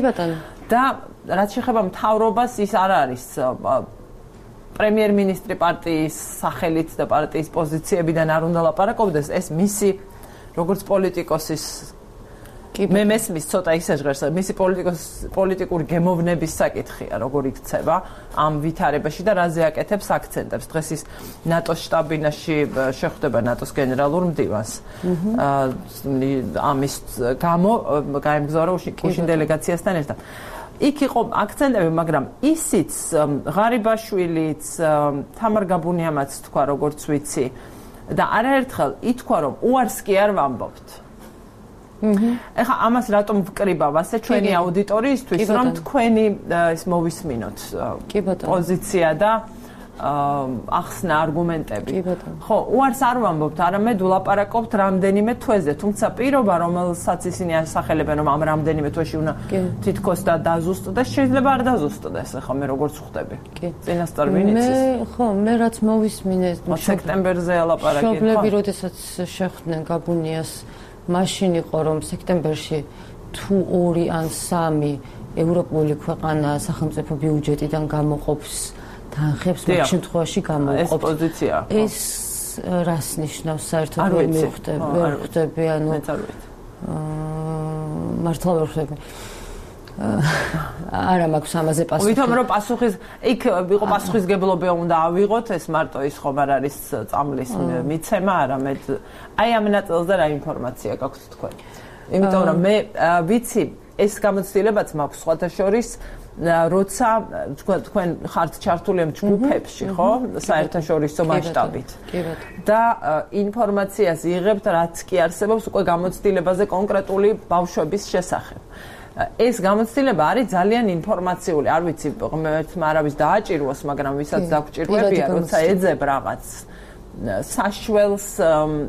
Speaker 1: და რაც შეეხება მთავრობას, ის არ არის პრემიერ-მინისტრი პარტიის სახელით და პარტიის პოზიციებიდან არ უნდა ლაპარაკობდეს, ეს მისი როგორც პოლიტიკოსის მე მესმის ცოტა ისე ჟღერს, მისი პოლიტიკური გემოვნების საკითხია, როგორ იქცება ამ ვითარებაში და რაზე აკეთებს აქცენტებს. დღეს ის ნატოს შტაბ-ბინაში შეხვდება ნატოს გენერალურ მდივანს. ამის გამო გაემგზავრა უშინ დელეგაციასთან ერთად. იქ იყო აქცენტები, მაგრამ ისიც ღარიბაშვილიც, თამარ გაბუნიამაც თქვა, როგორც ვიცი და არაერთხელ ითქვა, რომ უარს კი არ ვამბობთ. ეხლა ამას რატომ ვკრიბავ ასე ჩვენი აუდიტორიისთვის, რომ თქვენი ის მოვისმინოთ პოზიცია და ახსნა არგუმენტები. ხო, უარს არ ვამბობთ, არამედ ვლაპარაკობთ რამდენიმე თვეზე, თუმცა პირობა, რომელსაც ისინი ასახელებენ, რომ ამ რამდენიმე თვეში უნდა თითქოს და დაზუსტდეს, შეიძლება არ დაზუსტდეს, ახლა მე როგორც ხვდები. წინასწარ ვინ იცის?
Speaker 2: მე ხო, მე რაც მოვისმინე
Speaker 1: სექტემბერზე ალაპარაკეთ.
Speaker 2: მშობლები, როდესაც შეხვდნენ გაბუნიას, მაშინ იყო რომ სექტემბერში თუ ორი ან სამი ევროპული ქვეყანა სახელმწიფო ბიუჯეტიდან გამოყოფს თანხებს, მაგ შემთხვევაში გამოყოფს.
Speaker 1: ეს პოზიცია.
Speaker 2: ეს რას ნიშნავს საერთოდ ვერ მივხვდები, ვერ ხვდები, ანუ მართლა ვერ ხვდები. არა მაქვს ამაზე პასუხი.
Speaker 1: ვითომ რომ პასუხის იქ იყო პასუხისგებლობა უნდა ავიღოთ, ეს მარტო ის ხომ არ არის წამლის მიცემა, არამედ აი ამ ნაწილზე რა ინფორმაცია გაქვთ თქვენ. იმიტომ რომ მე ვიცი ეს გამოცდილებაც მაქვს სხვათა შორის როცა თქვენ ხართ ჩართული ამ ჯგუფებში, ხო? საერთაშორისო მასშტაბით. და ინფორმაციას იღებთ, რაც კი არსებობს უკვე გამოცდილებაზე კონკრეტული ბავშვების შესახებ. ეს გამოცდილება არის ძალიან ინფორმაციული, არ ვიცი, ღმერთმა არავის დააჭიროს, მაგრამ ვისაც დაგჭირვებია, როცა ეძებ რაღაც საშველს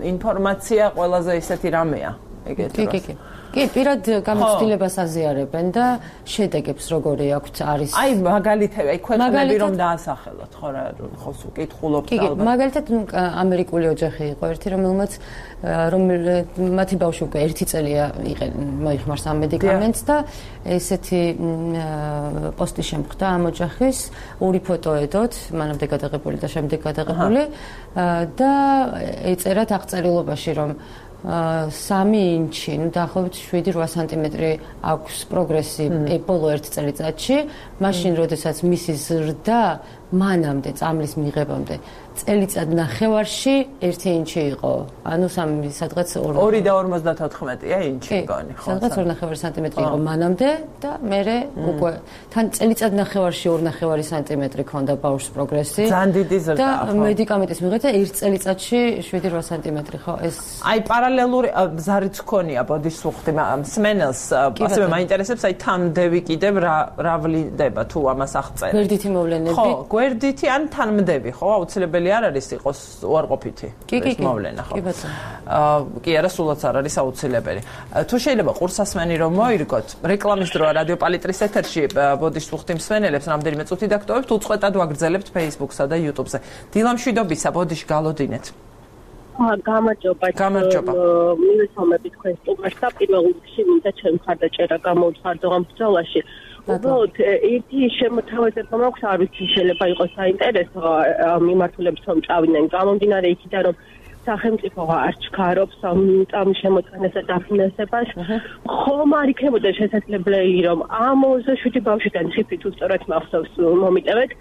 Speaker 1: ინფორმაცია ყველაზე ისეთი რამეა, ეგეთ დროს.
Speaker 2: კი, კი, კი. კი, პირად გამოცდილებას აზიარებენ და შედეგებს როგორი აქვთ არის.
Speaker 1: აი, მაგალითები, აი ქვეყნები რომ დაასახელოთ, ხო რა, ხო სულ კითხულობთ
Speaker 2: ალბათ. კი, მაგალითად ამერიკული ოჯახი იყო ერთი, რომელმაც მათი ბავშვი უკვე ერთი წელია მოიხმარს ამ მედიკამენტს და ესეთი პოსტი შემხვდა ამ ოჯახის, ორი ფოტო ედოთ, მანამდე გადაღებული და შემდეგ გადაღებული და ეწერათ აღწერილობაში, რომ სამი ინჩი, ну დაახლოებით შვიდი რვა სანტიმეტრი აქვს პროგრესი ბოლო ერთ წელიწადში, მაშინ როდესაც მისი ზრდა მანამდე წამლის მიღებამდე წელიწად ნახევარში ერთი ინჩი იყო. ანუ სამი სადღაც
Speaker 1: ორი და ორმოცდათოთხმეტია ინჩი გონი,
Speaker 2: ხო? სადღაც ორი ნახევარი სანტიმეტრი იყო მანამდე და მერე უკვე თან წელიწად ნახევარში ორი ნახევარი სანტიმეტრი ქონდა ბავშვს პროგრესი.
Speaker 1: ძალიან დიდი ზრდა.
Speaker 2: და მედიკამენტის მიღება ერთ წელიწადში შვიდი რვა სანტიმეტრი, ხო? ეს
Speaker 1: აი პარალელური ზარიც ქონია ბოდიშს უხდი მსმენელს, ასევე მაინტერესებს აი თამდევი კიდევ რა რა ვლინდება თუ ამას აღწერ.
Speaker 2: გვერდითი მოვლენები.
Speaker 1: ხო, გვერდითი ან თანმდები, ხო? აუცილებელი არ არის იყოს უარყოფითი ეს მოვლენა, ხო?
Speaker 2: კი, ბატონო.
Speaker 1: აა კი, არა, სულაც არ არის აუცილებელი. თუ შეიძლება ყურსასმენი რომ მოირგოთ, რეკლამის დროა რადიო პალიტრის ეთერში ბოდიშს უხდი მსმენელებს რამდენიმე წუთი დაგტოვებთ, უწყვეტად ვაგრძელებთ Facebook-სა და YouTube-ზე. დილამშვიდობისა, ბოდიში გალოდინეთ.
Speaker 3: გამარჯობა.
Speaker 1: გამარჯობა.
Speaker 3: მივესალმები თქვენ სტუმარს და პირველ რიგში მინდა ჩემ მხარდაჭერა გამოვხარდო ამ ბრძოლაში. უბრალოდ ერთი შემოთავაზება მაქვს, არ ვიცი შეიძლება იყოს საინტერესო მიმართულებს რომ წავიდნენ გამომდინარე იქიდან რომ სახელმწიფო არ ჩქარობს ამ შემოწყენასა და დაფინანსებას, ხომ არ იქნებოდა შესაძლებელი რომ ამ ოცდაშვიდი ბავშვიდან ციფრით უსწორად მახსოვს მომიტევეთ,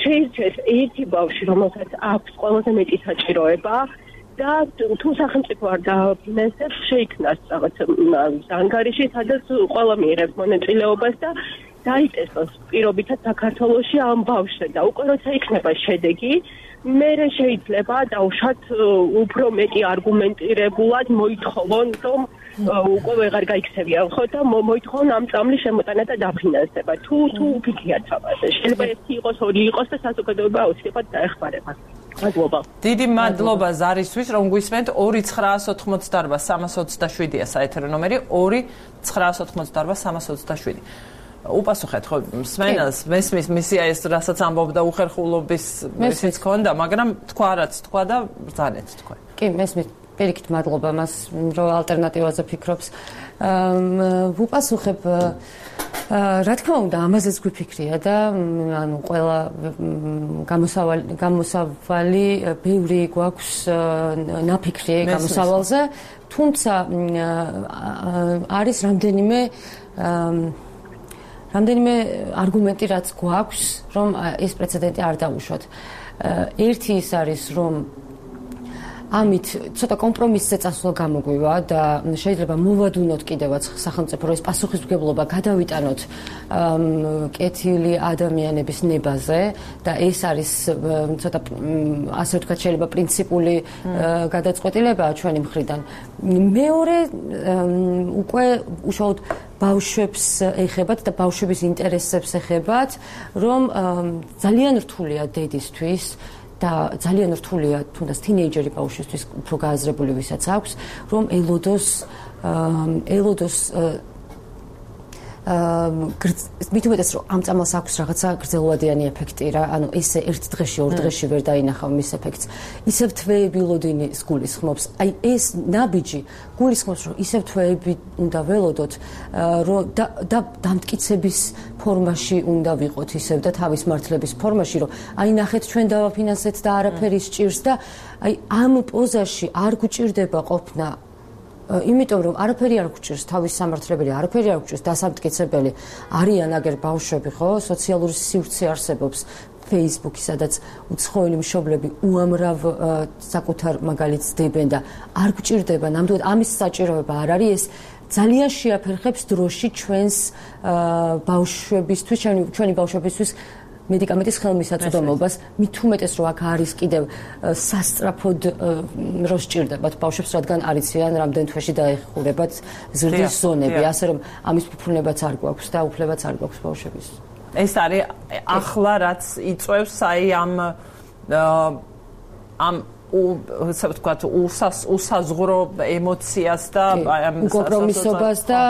Speaker 3: შეირჩეს ერთი ბავშვი, რომელსაც აქვს ყველაზე მეტი საჭიროება და თუ სახელმწიფო არ დაფინანსებს, შეიქმნას რაღაც ანგარიში, სადაც ყველა მიიღებს მონაწილეობას და დაიწესოს პირობითად საქართველოში ამ ბავშვზე და უკვე როცა იქნება შედეგი, მერე შეიძლება დავუშვათ უფრო მეტი არგუმენტირებულად მოითხოვონ, რომ უკვე ვეღარ გაიქცევიან, ხო და მოითხოვონ ამ წამლის შემოტანა და დაფინანსება. თუ თუ უფიქრიათ ამაზე. შეიძლება ერთი იყოს, ორი იყოს და საზოგადოება აუცილებლად დაეხმარება. მადლობა.
Speaker 1: დიდი მადლობა ზარისთვის, რომ გვისმენთ. ორი ცხრაას ოთხმოცდაარბა სამას ოცდაშვიდია საეთერო ნომერი, ორი ცხრაას ოთხმოცდაარბა სამას ოცდაშვიდი. უპასუხეთ ხო მსმენელს, მესმის მისია ეს რასაც ამბობდა უხერხულობის ისიც ქონდა, მაგრამ თქვა რაც თქვა და ბრძანეთ თქვენ.
Speaker 2: კი, მესმის პირიქით მადლობა მას, რომ ალტერნატივაზე ფიქრობს. ვუპასუხებ რა თქმა უნდა, ამაზეც გვიფიქრია და ანუ ყველა გამოსავალი გამოსავალი ბევრი გვაქვს ნაფიქრი გამოსავალზე, თუმცა არის რამდენიმე რამდენიმე არგუმენტი რაც გვაქვს, რომ ეს პრეცედენტი არ დაუშვათ. ერთი ის არის, რომ ამით ცოტა კომპრომისზე წასვლა გამოგვივა და შეიძლება მოვადუნოთ კიდევაც სახელმწიფო რომ ეს პასუხისმგებლობა გადავიტანოთ კეთილი ადამიანების ნებაზე და ეს არის ცოტა ასე ვთქვათ შეიძლება პრინციპული გადაწყვეტილებაა ჩვენი მხრიდან. მეორე უკვე უშუალოდ ბავშვებს ეხებათ და ბავშვების ინტერესებს ეხებათ, რომ ძალიან რთულია დედისთვის და ძალიან რთულია თუნდაც თინეიჯერი ბავშვისთვის უფრო გააზრებული ვისაც აქვს, რომ ელოდოს ელოდოს მით უმეტეს რომ ამ წამალს აქვს რაღაცა გრძელვადიანი ეფექტი რა, ანუ ესე ერთ დღეში, ორ დღეში ვერ დაინახავ მის ეფექტს. ისევ თვეები ლოდინის გულისხმობს. აი ეს ნაბიჯი გულისხმობს რომ ისევ თვეები უნდა ველოდოთ, რომ და დამტკიცების ფორმაში უნდა ვიყოთ ისევ და თავის მართლების ფორმაში, რომ აი ნახეთ ჩვენ დავაფინანსეთ და არაფერი სჭირს და აი ამ პოზაში არ გვჭირდება ყოფნა იმიტომ რომ არაფერი არ გვჭირს თავის სამართლებელი, არაფერი არ გვჭირს დასამტკიცებელი. არიან აგერ ბავშვები, ხო, სოციალური სივრცე არსებობს Facebook-ი, სადაც უცხოელი მშობლები უამრავ საკუთარ მაგალითს დებენ და არ გვჭირდება, ნამდვილად ამის საჭიროება არ არის, ეს ძალიან შეაფერხებს დროში ჩვენს ბავშვებისთვის, ჩვენი ბავშვებისთვის მედიკამენტის ხელმისაწვდომობას, მით უმეტეს რომ აქ არის კიდევ სასწრაფოდ რო სჭირდებათ ბავშვებს, რადგან არ იციან რამდენ თვეში დაეხურებათ ზრდის ზონები, ასე რომ ამის ფუფუნებაც არ გვაქვს და უფლებაც არ გვაქვს ბავშვების.
Speaker 1: ეს არის ახლა რაც იწევს აი ამ ამ ასე ვთქვათ, უსაზღვრო ემოციას და
Speaker 2: ამ კომპრომისობას და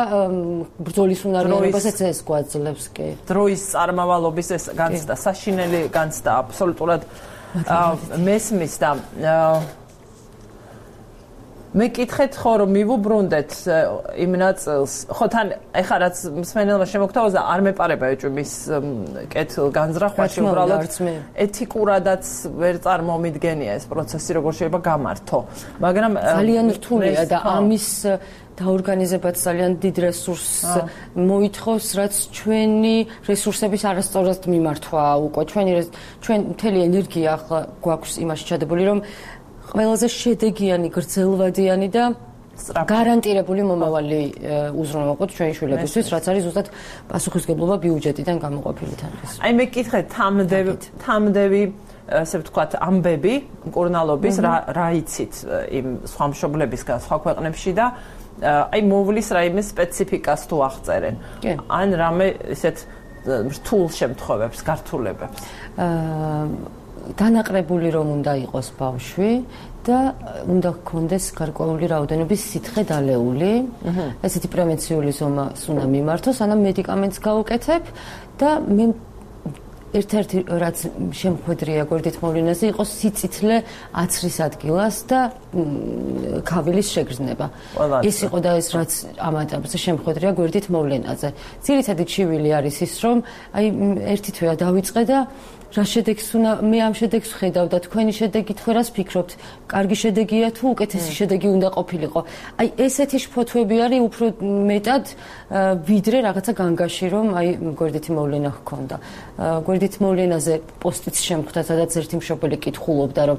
Speaker 2: ბრძოლის უნარიანობასაც ეს გვაძლევს, კი.
Speaker 1: დროის წარმავალობის ეს განცდა, საშინელი განცდა აბსოლუტურად მესმის და მე კითხეთ ხო რომ მივუბრუნდეთ იმ ნაწილს, ხო თან ეხლა რაც მსმენელმა შემოგთავაზა არ მეპარება ეჭვი მის კეთილ განზრახვაში, უბრალოდ ეთიკურადაც ვერ წარმომიდგენია ეს პროცესი როგორ შეიძლება გამართო, მაგრამ
Speaker 2: ძალიან რთულია და ამის დაორგანიზებაც ძალიან დიდ რესურსს მოითხოვს, რაც ჩვენი რესურსების არასწორად მიმართვა უკვე ჩვენი ჩვენ მთელი ენერგია ახლა გვაქვს იმაში ჩადებული, რომ ყველაზე შედეგიანი, გრძელვადიანი და გარანტირებული მომავალი უზრუნველყოთ ჩვენი შვილებისთვის, რაც არის ზუსტად პასუხისმგებლობა ბიუჯეტიდან გამოყოფილი თანხის.
Speaker 1: აი მე კითხეთ თამდევი თამდევი ასე ვთქვათ ამბები მკურნალობის რა იცით იმ სხვა მშობლებისგან სხვა ქვეყნებში და აი მოვლის რაიმე სპეციფიკას თუ აღწერენ. ან რამე ისეთ რთულ შემთხვევებს, გართულებებს.
Speaker 2: აა დანაყრებული რომ უნდა იყოს ბავშვი და უნდა გქონდეს გარკვეული რაოდენობის სითხე დალეული. ესეთი პრევენციული ზომას უნდა მიმართოს, ანამ მედიკამენტს გავუკეთებ და მე ერთ-ერთი რაც შემხვედრია გვერდით მოვლენაზე იყო სიწითლე აცრის ადგილას და ქავილის შეგრძნება. ეს იყო და ეს რაც ამ ეტაპზე შემხვედრია გვერდით მოვლენაზე. ძირითადი ჩივილი არის ის, რომ აი ერთი თვეა დავიწყე და რა შედეგს უნდა მე ამ შედეგს ვხედავ და თქვენი შედეგი თქვენ რას ფიქრობთ? კარგი შედეგია თუ უკეთესი შედეგი უნდა ყოფილიყო? აი ესეთი შფოთვები არის უფრო მეტად ვიდრე რაღაცა განგაში, რომ აი გვერდითი მოვლენა ჰქონდა. გვერდით მოვლენაზე პოსტიც შემხვდა, სადაც ერთი მშობელი კითხულობდა, რომ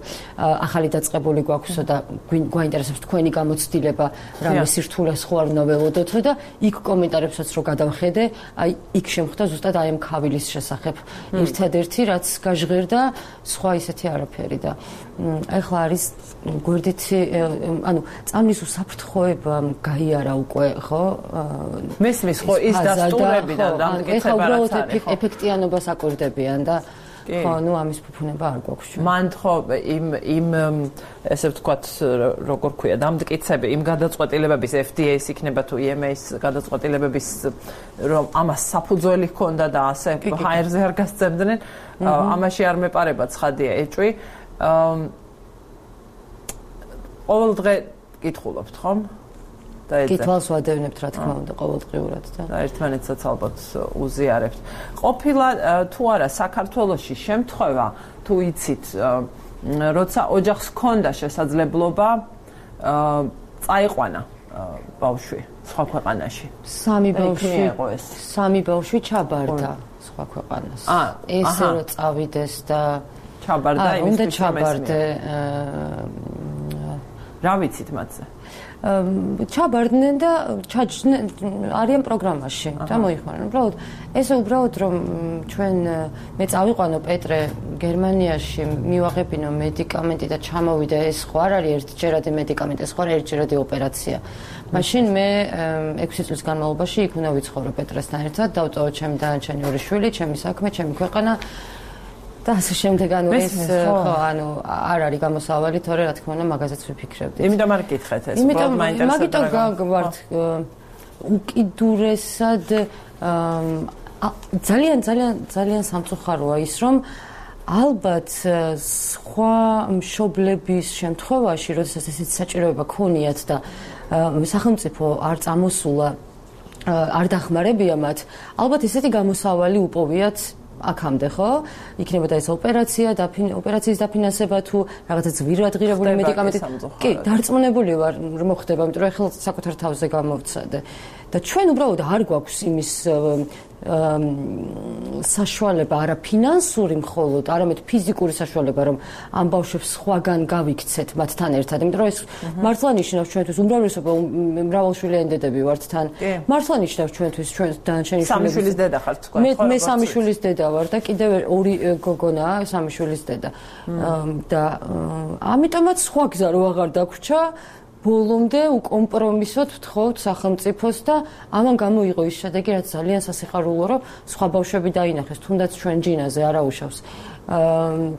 Speaker 2: ახალი დაწყებული გვაქვსო და გვაინტერესებს თქვენი გამოცდილება, რამე სირთულეს ხო არ უნდა ველოდოთ და იქ კომენტარებსაც რო გადავხედე, აი იქ შემხვდა ზუსტად აი ამ ქავილის შესახებ ერთადერთი რაც გაჟღერდა, სხვა ისეთი არაფერი და ეხლა არის გვერდითი, ანუ წამლის უსაფრთხოება გაიარა უკვე, ხო?
Speaker 1: მესმის ხო ის დასტურებიდან დამტკიცება რაც არის.
Speaker 2: ეფექტიანობას აკვირდებიან და ხო, ნუ ამის ფუფუნება არ გვაქვს.
Speaker 1: მან ხო იმ იმ ესე ვთქვათ, როგორ ქვია, დამტკიცები, იმ გადაწყვეტილებების F D A-ს იქნება თუ E M A-ს გადაწყვეტილებების რომ ამას საფუძველი ჰქონდა და ასე ჰაერზე არ გასცემდნენ, ამაში არ მეპარება ცხადია ეჭვი. ყოველ დღე კითხულობთ, ხომ?
Speaker 2: კითხვას ვადევნებთ, რა თქმა უნდა, ყოველდღიურად და
Speaker 1: ერთმანეთსაც ალბათ უზიარებთ. ყოფილა თუ არა საქართველოში შემთხვევა, თუ იცით, როცა ოჯახს ჰქონდა შესაძლებლობა წაიყვანა ბავშვი სხვა ქვეყანაში.
Speaker 2: სამი ბავშვი სამი ბავშვი ჩაბარდა სხვა ქვეყანას. ესე რომ წავიდეს და
Speaker 1: ჩაბარდა იმის
Speaker 2: უნდა ჩაბარდე.
Speaker 1: რა ვიცით მათზე?
Speaker 2: ჩაბარდნენ და ჩაჯდნენ არიან პროგრამაში და მოიხმარენ. უბრალოდ ესე უბრალოდ რომ ჩვენ მე წავიყვანო პეტრე გერმანიაში, მივაღებინო მედიკამენტი და ჩამოვიდა, ეს ხო არ არის ერთჯერადი მედიკამენტი, ეს ხო არ არის ერთჯერადი ოპერაცია. მაშინ მე ექვსი წლის განმავლობაში იქ უნდა ვიცხოვრო პეტრესთან ერთად, დავტოვო ჩემი დანარჩენი ორი შვილი, ჩემი საქმე, ჩემი ქვეყანა და ასე შემდეგ, ანუ ეს ხო, ანუ არ არის გამოსავალი, თორე რა თქმა უნდა მაგაზეც ვიფიქრებდი.
Speaker 1: იმიტომ არ გითხეთ ეს,
Speaker 2: იმიტომ მაგიტომ გავართ უკიდურესად ძალიან ძალიან ძალიან სამწუხაროა ის, რომ ალბათ სხვა მშობლების შემთხვევაში, როდესაც ესეთი საჭიროება ქონიათ და სახელმწიფო არ წამოსულა, არ დახმარებია მათ, ალბათ ესეთი გამოსავალი უპოვიათ აქამდე, ხო? იქნებოდა ეს ოპერაცია, ოპერაციის დაფინანსება თუ რაღაცა ძვირადღირებული მედიკამენტი. კი, დარწმუნებული ვარ, რომ მოხდება, იმიტომ რომ ახლა საკუთარ თავზე გამოვცადე. და ჩვენ უბრალოდ არ გვაქვს იმის საშუალება არა ფინანსური მხოლოდ, არამედ ფიზიკური საშუალება, რომ ამ ბავშვებს სხვაგან გავიქცეთ მათთან ერთად. იმიტომ რომ ეს მართლა ნიშნავს ჩვენთვის უმრავლესობა მრავალშვილიანი დედები ვართ თან. მართლა ნიშნავს ჩვენთვის ჩვენ დანარჩენი
Speaker 1: სამი შვილის დედა ხართ თქვენ.
Speaker 2: მე მე სამი შვილის დედა ვარ და კიდევ ორი გოგონაა სამი შვილის დედა. და ამიტომაც სხვა გზა რო აღარ დაგვრჩა ბოლომდე უკომპრომისოდ ვთხოვთ სახელმწიფოს და ამან გამოიღო ის შედეგი, რაც ძალიან სასიხარულო, რომ სხვა ბავშვები დაინახეს, თუნდაც ჩვენ ჯინაზე არაუშავს.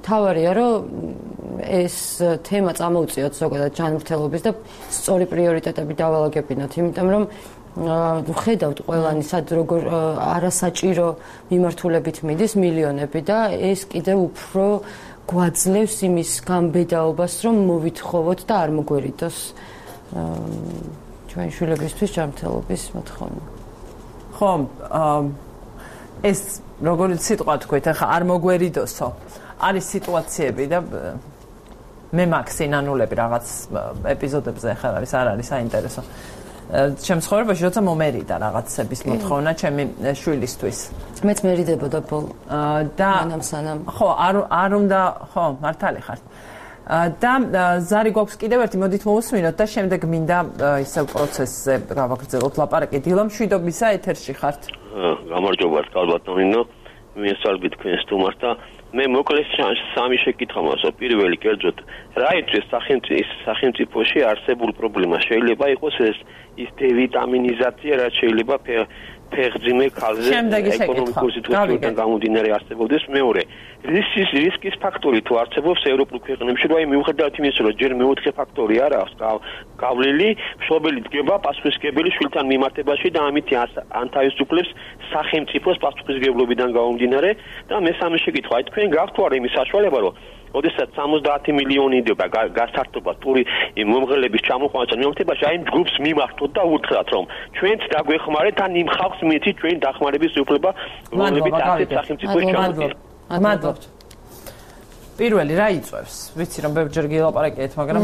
Speaker 2: მთავარია, რომ ეს თემა წამოუწიოთ ზოგადად ჯანმრთელობის და სწორი პრიორიტეტები დავალაგებინოთ, იმიტომ რომ ხედავთ ყველანი სად როგორ არასაჭირო მიმართულებით მიდის მილიონები და ეს კიდევ უფრო გვაძლევს იმის გამბედაობას, რომ მოვითხოვოთ და არ მოგვერიდოს ჩვენ შვილებისთვის ჯანმრთელობის მოთხოვნა.
Speaker 1: ხო, ეს როგორი სიტყვა თქვით, ახლა არ მოგვერიდოსო. არის სიტუაციები და მე მაქვს სინანულები რაღაც ეპიზოდებზე ახლა არის არ არის საინტერესო. ჩემ ცხოვრებაში როცა მომერიდა რაღაცების მოთხოვნა ჩემი შვილისთვის.
Speaker 2: მეც მერიდებოდა ბოლო.
Speaker 1: და
Speaker 2: სანამ
Speaker 1: ხო, არ არ უნდა, ხო, მართალი ხართ. და ზარი გვაქვს კიდევ ერთი, მოდით მოусმინოთ და შემდეგ მინდა ისევ პროცესზე გავაგრძელოთ ლაპარაკი. დილა მშვიდობისა, ეთერში ხართ.
Speaker 4: გამარჯობა, კალბატონინო. მე სალბი თქვენ სტუმარს და მე მოკლედ სამი შეკითხვა მაქვს. პირველი, კერძოდ, რა იწვევს სახელმწიფოში არსებულ პრობლემას? შეიძლება იყოს ეს ის დევიტამინიზაცია, რაც შეიძლება ფეხმძიმე ქალზე ეკონომიკური სიტუაციიდან გამომდინარე არსებობდეს. მეორე, რისკის რისკის ფაქტორი თუ არსებობს ევროპულ ქვეყნებში, რომ აი მიუხედავად იმისა, რომ ჯერ მეოთხე ფაქტორი არ აქვს გავლილი, მშობელი დგება პასუხისმგებელი შვილთან მიმართებაში და ამით ანთავისუფლებს სახელმწიფოს პასუხისმგებლობიდან გამომდინარე. და მესამე შეკითხვა, აი თქვენ გაქვთ თუ არა იმის საშუალება, რომ ოდესაც სამოცდაათი მილიონი იდება გასართობა ტური მომღერლების ჩამოყვანასთან მიმართებაში, აი იმ ჯგუფს მიმართოთ და უთხრათ, რომ ჩვენც დაგვეხმარეთ ან იმ ხალხს მიეცით ჩვენი დახმარების უფლება, რომლებიც ასეთ სახელმწიფოს ჩამოყალიბდა.
Speaker 1: მადლობთ. პირველი რა იწვევს? ვიცი რომ ბევრჯერ გილაპარაკეთ, მაგრამ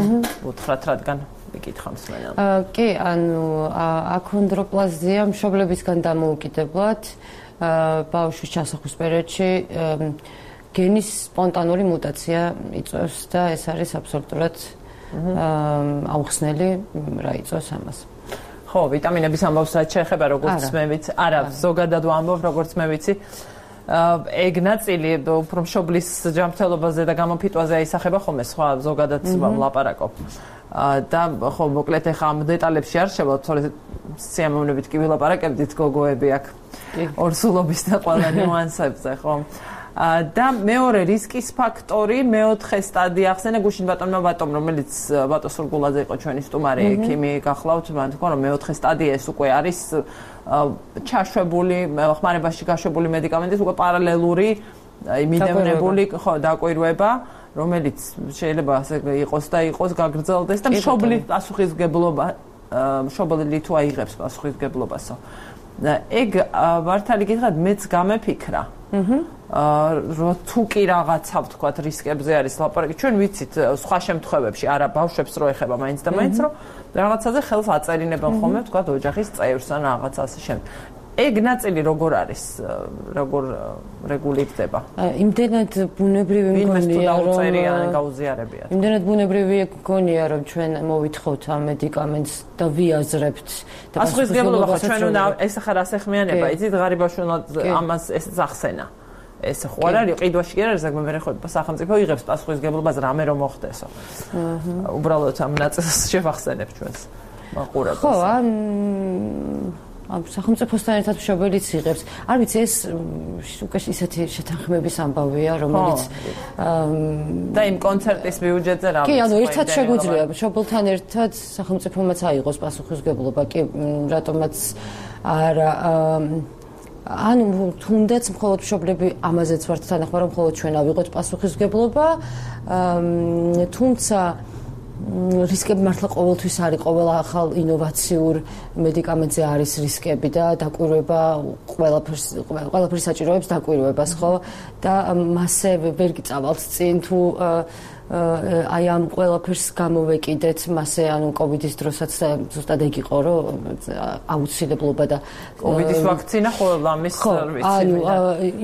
Speaker 1: უთხრათ რადგან მიკითხა მსმენელს.
Speaker 2: კი, ანუ აქონდროპლაზია მშობლებისგან დამოუკიდებლად ბავშვის ჩასახვის პერიოდში გენის სპონტანური მუტაცია იწვევს და ეს არის აბსოლუტურად აუხსნელი რა იწვევს ამას.
Speaker 1: ხო, ვიტამინების ამბავს რაც შეეხება, როგორც მე ვიცი, არა, ზოგადად ვამბობ, როგორც მე ვიცი. ეგ ნაწილი უფრო მშობლის ჯანმრთელობაზე და გამოფიტვაზე აისახება ხოლმე, სხვა ზოგადად ვლაპარაკობ. და ხო, მოკლედ ახლა ამ დეტალებში არ შევვალთ, თორე სიამოვნებით კი ვილაპარაკებდით გოგოები აქ ორსულობის და ყველა ნიუანსებზე, ხო? და მეორე რისკის ფაქტორი, მეოთხე სტადია ახსენე გუშინ ბატონმა ბატომ, რომელიც ბატონ სურგულაძე იყო ჩვენი სტუმარი, ექიმი გახლავთ, მან თქვა რომ მეოთხე სტადია ეს უკვე არის ჩაშვებული, ხმარებაში გაშვებული მედიკამენტის უკვე პარალელური იმიდევნებული ხო დაკვირვება, რომელიც შეიძლება ასე იყოს და იყოს გაგრძელდეს და მშობლის პასუხისმგებლობა მშობელი თუ აიღებს პასუხისმგებლობასო. ეგ მართალი გითხრათ, მეც გამეფიქრა. რო თუ კი რაღაცა ვთქვათ რისკებზე არის ლაპარაკი, ჩვენ ვიცით სხვა შემთხვევებში, არა ბავშვებს რო ეხება მაინც და მაინც რომ რაღაცაზე ხელს აწერინებენ ხოლმე ვთქვათ ოჯახის წევრს ან რაღაც ასე შემდეგ. ეგ ნაწილი როგორ არის, როგორ რეგულირდება?
Speaker 2: იმდენად ბუნებრივი მგონია, რომ
Speaker 1: გაუზიარებიათ.
Speaker 2: იმდენად ბუნებრივი მგონია, რომ ჩვენ მოვითხოვთ ამ მედიკამენტს და ვიაზრებთ და
Speaker 1: პასუხისმგებლობა ხო ჩვენ უნდა ეს ახლა რასეხმიანება, იცით ღარიბაში უნდა ამას ეს ახსენა. ეს ხო არ არის ყიდვაში კი არ არის ზოგადად მე ხო სახელმწიფო იღებს პასუხისმგებლობას რამე რომ მოხდესო. უბრალოდ ამ ნაწილს შევახსენებ ჩვენს მაყურებელს.
Speaker 2: ხო, ან ამ სახელმწიფოსთან ერთად მშობელიც იღებს. არ ვიცი, ეს უკვე ისეთი შეთანხმების ამბავია, რომელიც
Speaker 1: და იმ კონცერტის ბიუჯეტზე რა
Speaker 2: ვიცი. კი, ანუ ერთად შეგვიძლია მშობელთან ერთად სახელმწიფომაც აიღოს პასუხისმგებლობა, კი, რატომაც არა ანუ თუნდაც მხოლოდ მშობლები ამაზეც ვართ თანახმა, რომ მხოლოდ ჩვენ ავიღოთ პასუხისმგებლობა, თუმცა რისკები მართლა ყოველთვის არის, ყოველ ახალ ინოვაციურ მედიკამენტზე არის რისკები და დაკვირვება ყველაფერს ყველაფერი საჭიროებს დაკვირვებას, ხო? და მასე ვერ გიწავალთ წინ თუ აი ამ ყველაფერს გამოვეკიდეთ მასე ანუ კოვიდის დროსაც ზუსტად ეგ იყო რომ აუცილებლობა და
Speaker 1: კოვიდის ვაქცინა ხოლმე ამის სერვისი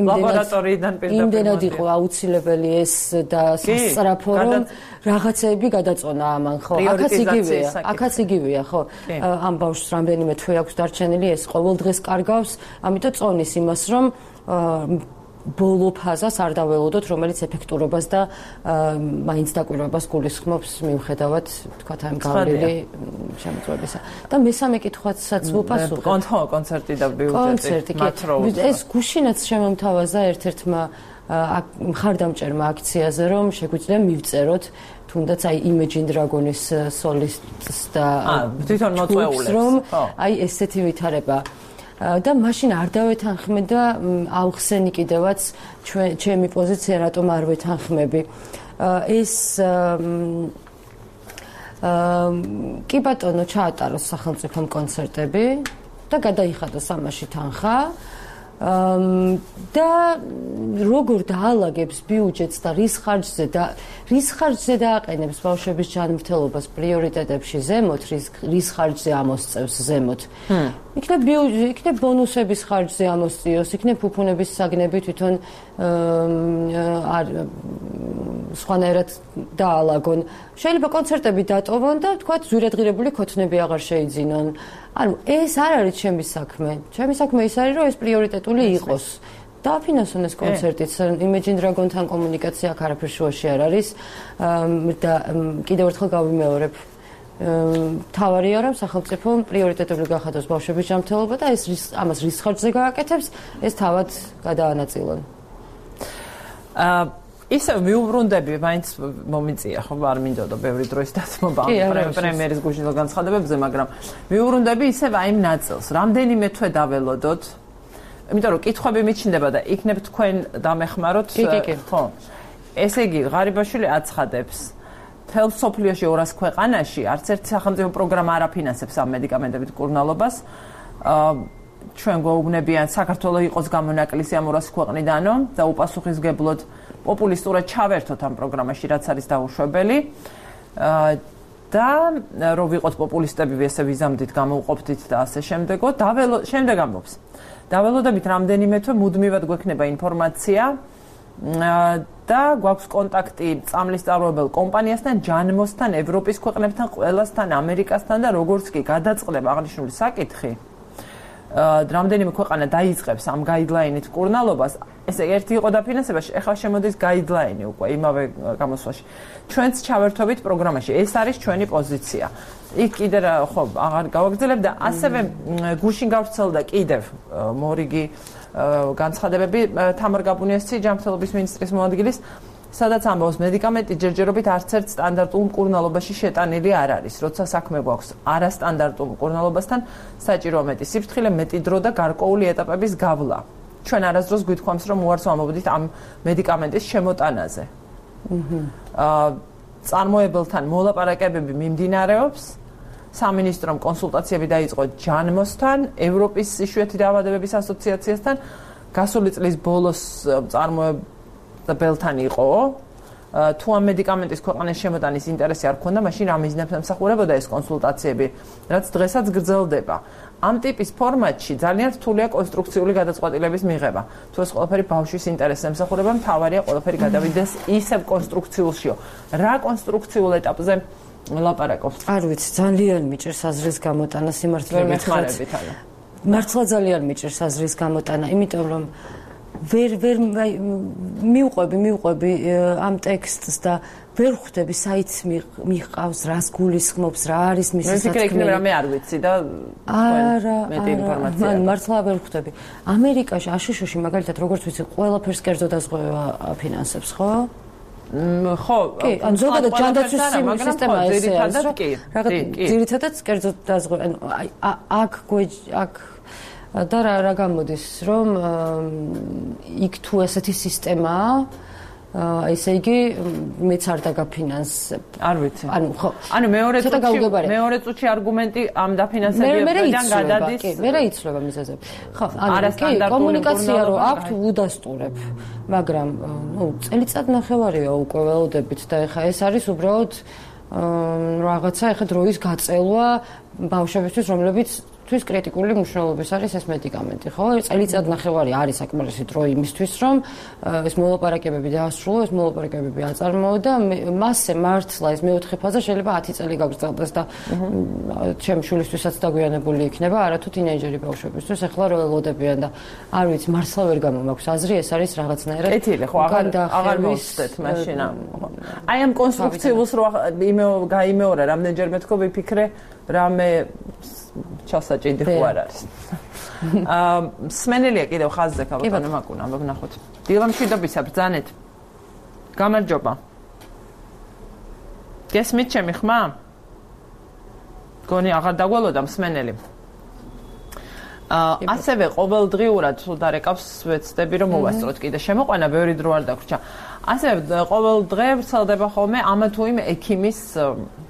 Speaker 1: ლაბორატორიიდან პირდაპირ
Speaker 2: იმდენად იყო აუცილებელი ეს და სასწრაფო რომ რაღაცეები გადაწონა ამან ხო აქაც იგივეა აქაც იგივეა ხო ამ ბავშვს რამდენიმე თვე აქვს დარჩენილი ეს ყოველდღეს კარგავს ამიტომ წონის იმას რომ ბოლო ფაზას არ დაველოდოთ, რომელიც ეფექტურობას და მაინც დაკვირვებას გულისხმობს მიუხედავად თქვათ ამ გავლილი შემოწმებისა. და მესამე კითხვაცაც ვუპასუხებ.
Speaker 1: კონცერტო, კონცერტი და ბიუჯეტი.
Speaker 2: კონცერტი. ეს გუშინაც შემომთავაზა ერთ-ერთმა მხარდამჭერმა აქციაზე, რომ შეგვიძლია მივწეროთ თუნდაც აი Imagine Dragon-ის სოლისტს და
Speaker 1: თვითონ მოწვეულებს,
Speaker 2: რომ აი ესეთი ვითარება და მაშინ არ დავეთანხმე და ავხსენი კიდევაც ჩემი პოზიცია რატომ არ ვეთანხმები ეს კი ბატონო ჩაატაროს სახელმწიფომ კონცერტები და გადაიხადოს ამაში თანხა და როგორ დაალაგებს ბიუჯეტს და რის ხარჯზე და რის ხარჯზე დააყენებს ბავშვების ჯანმრთელობას პრიორიტეტებში ზემოთ რის ხარჯზე ამოსწევს ზემოთ იქნებ ბიუჯეტი იქნებ ბონუსების ხარჯზე ამოსწიოს იქნებ ფუფუნების საგნები თვითონ არ სხვანაირად დაალაგონ შეიძლება კონცერტები დატოვონ და თქვა ზვირადღირებული ქოთნები აღარ შეიძინონ ანუ ეს არ არის ჩემი საქმე ჩემი საქმე ის არის რომ ეს პრიორიტეტული იყოს დააფინანსონ ეს კონცერტიც Imagine Dragon-თან კომუნიკაცია აქ არაფერ შუაში არ არის და კიდევ ერთხელ გავიმეორებ თავარია რომ სახელმწიფო პრიორიტეტული გახადოს ბავშვების ჯანმრთელობა და ეს ამას რის ხარჯზე გააკეთებს ეს თავად გადაანაწილონ
Speaker 1: აა ისე მიუბრუნდები მაინც მომიწია ხო არ მინდოდა ბევრი დროის დათმობა პრემიერის გუშინდელ განცხადებებზე მაგრამ მიუბრუნდები ისე აი იმ ნაწილს რამდენიმე თვე დაველოდოთ იმიტომ რომ კითხვები მიჩნდება და იქნებ თქვენ დამეხმაროთ ხო ესე იგი ღარიბაშვილი აცხადებს თელ სოფლიოში ორას ქვეყანაში არც ერთი სახელმწიფო პროგრამა არ აფინანსებს ამ მედიკამენტებით მკურნალობას ჩვენ გვეუბნებიან საქართველოს იყოს გამონაკლისი ამ ორას ქვეყნიდანო და უპასუხისმგებლოდ პოპულისტურად ჩავერთოთ ამ პროგრამაში რაც არის დაუშვებელი და რომ ვიყოთ პოპულისტები ესე ვიზამდით გამოვყოფდით და ასე შემდეგო დაველო შემდეგ ამბობს დაველოდებით რამდენიმე თვე მუდმივად გვექნება ინფორმაცია და გვაქვს კონტაქტი წამლის წარმოებელ კომპანიასთან ჯანმოსთან ევროპის ქვეყნებთან ყველასთან ამერიკასთან და როგორც კი გადაწყდება აღნიშნული საკითხი რამდენიმე ქვეყანა დაიწყებს ამ გაიდლაინით მკურნალობას ესე ერთი იყო დაფინანსებაში ახლა შემოდის გაიდლაინი უკვე იმავე გამოსვლაში ჩვენც ჩავერთვებით პროგრამაში ეს არის ჩვენი პოზიცია იქ კიდე ხო აღარ გავაგრძელებ და ასევე გუშინ გავრცელდა კიდევ მორიგი განცხადებები თამარ გაბუნიასი ჯანმრთელობის მინისტრის მოადგილის სადაც ამბობს მედიკამენტი ჯერჯერობით არც ერთ სტანდარტულ მკურნალობაში შეტანილი არ არის როცა საქმე გვაქვს არასტანდარტულ მკურნალობასთან საჭიროა მეტი სიფრთხილე მეტი დრო და გარკვეული ეტაპების გავლა ჩვენ არასდროს გვითქვამს რომ უარს ვამობდით ამ მედიკამენტის შემოტანაზე აა წარმოებელთან მოლაპარაკებები მიმდინარეობს სამინისტრომ კონსულტაციები დაიწყო ჯანმოსთან ევროპის იშვიათი დაავადებების ასოციაციასთან გასული წლის ბოლოს წარმოებელთან იყო თუ ამ მედიკამენტის ქვეყანაში შემოტანის ინტერესი არ ქონდა მაშინ რა მიზნებს ემსახურებოდა ეს კონსულტაციები რაც დღესაც გრძელდება ამ ტიპის ფორმატში ძალიან რთულია კონსტრუქციული გადაწყვეტილების მიღება თუ ეს ყველაფერი ბავშვის ინტერესს ემსახურება მთავარია ყველაფერი გადავიდეს ისევ კონსტრუქციულშიო რა კონსტრუქციულ ეტაპზე ლაპარაკობს
Speaker 2: არ ვიცი ძალიან მიჭირს აზრის გამოტანა სიმართლე
Speaker 1: მეხმარებით არა
Speaker 2: მართლა ძალიან მიჭირს აზრის გამოტანა იმიტომ რომ ვერ ვერ მიუყვები მიუყვები ამ ტექსტს და ვერ ხვდები საით მიყავს რას გულისხმობს რა არის მის
Speaker 1: სასაცმელი მე ვფიქრე იქნება რა მე არ ვიცი და
Speaker 2: არა
Speaker 1: მეტი ინფორმაცია
Speaker 2: მან მართლა ვერ ხვდები ამერიკაში აშშ-ში მაგალითად როგორც ვიცი ყველაფერს კერძო დაზღვევა აფინანსებს ხო
Speaker 1: ხო
Speaker 2: კი ან ზოგადად ჯანდაცვის სისტემა ესეა რაღაც ძირითადად კერძო დაზღვევა ანუ აქ აქ და რა რა გამოდის რომ იქ თუ ესეთი სისტემაა ესე იგი მეც არ დაგაფინანსებ.
Speaker 1: არ ვიცი.
Speaker 2: ანუ ხო.
Speaker 1: ანუ მეორე წუთში მეორე წუთში არგუმენტი ამ დაფინანსებებიდან გადადის.
Speaker 2: კი, მე იცლება მიზეზები. ხო, ანუ კი, კომუნიკაცია რო აქვთ უდასტურებ. მაგრამ ნუ წელიწად ნახევარია უკვე ველოდებით და ეხა ეს არის უბრალოდ რაღაცა ეხა დროის გაწელვა ბავშვებისთვის, რომლებიც თვის კრიტიკული მნიშვნელობის არის ეს მედიკამენტი, ხო? წელიწად ნახევარი არის საკმარისი დრო იმისთვის, რომ ეს მოლაპარაკებები დაასრულო, ეს მოლაპარაკებები აწარმოო და მასზე მართლა ეს მეოთხე ფაზა შეიძლება ათი წელი გაგრძელდეს და ჩემ შვილისთვისაც დაგვიანებული იქნება, არათუ თინეიჯერი ბავშვებისთვის, ახლა რო ელოდებიან და არ ვიცი, მართლა ვერ გამომაქვს აზრი, ეს არის რაღაცნაირად
Speaker 1: ეთილი, ხო, აღარ აღარ მოვხდეთ მაშინ. აი ამ კონსტრუქციულს რო გაიმეორე, რამდენჯერმე თქო ვიფიქრე, რამე ჩასაჭიდი ხო არ არის. აა სმენელია კიდევ ხაზზე ქალბატონო მაკუნა, ვნახოთ. დილამშვიდობისა ბრძანეთ. გამარჯობა. გესმით ჩემი ხმა? გონი აღარ დაგველოდა მსმენელი. აა ასევე ყოველდღიურად თუ დარეკავს ვეცდები რომ მოვასწროთ კიდე შემოყვანა ბევრი დრო არ დაგვრჩა. ასევე ყოველ დღე ვრცელდება ხოლმე ამა თუ იმ ექიმის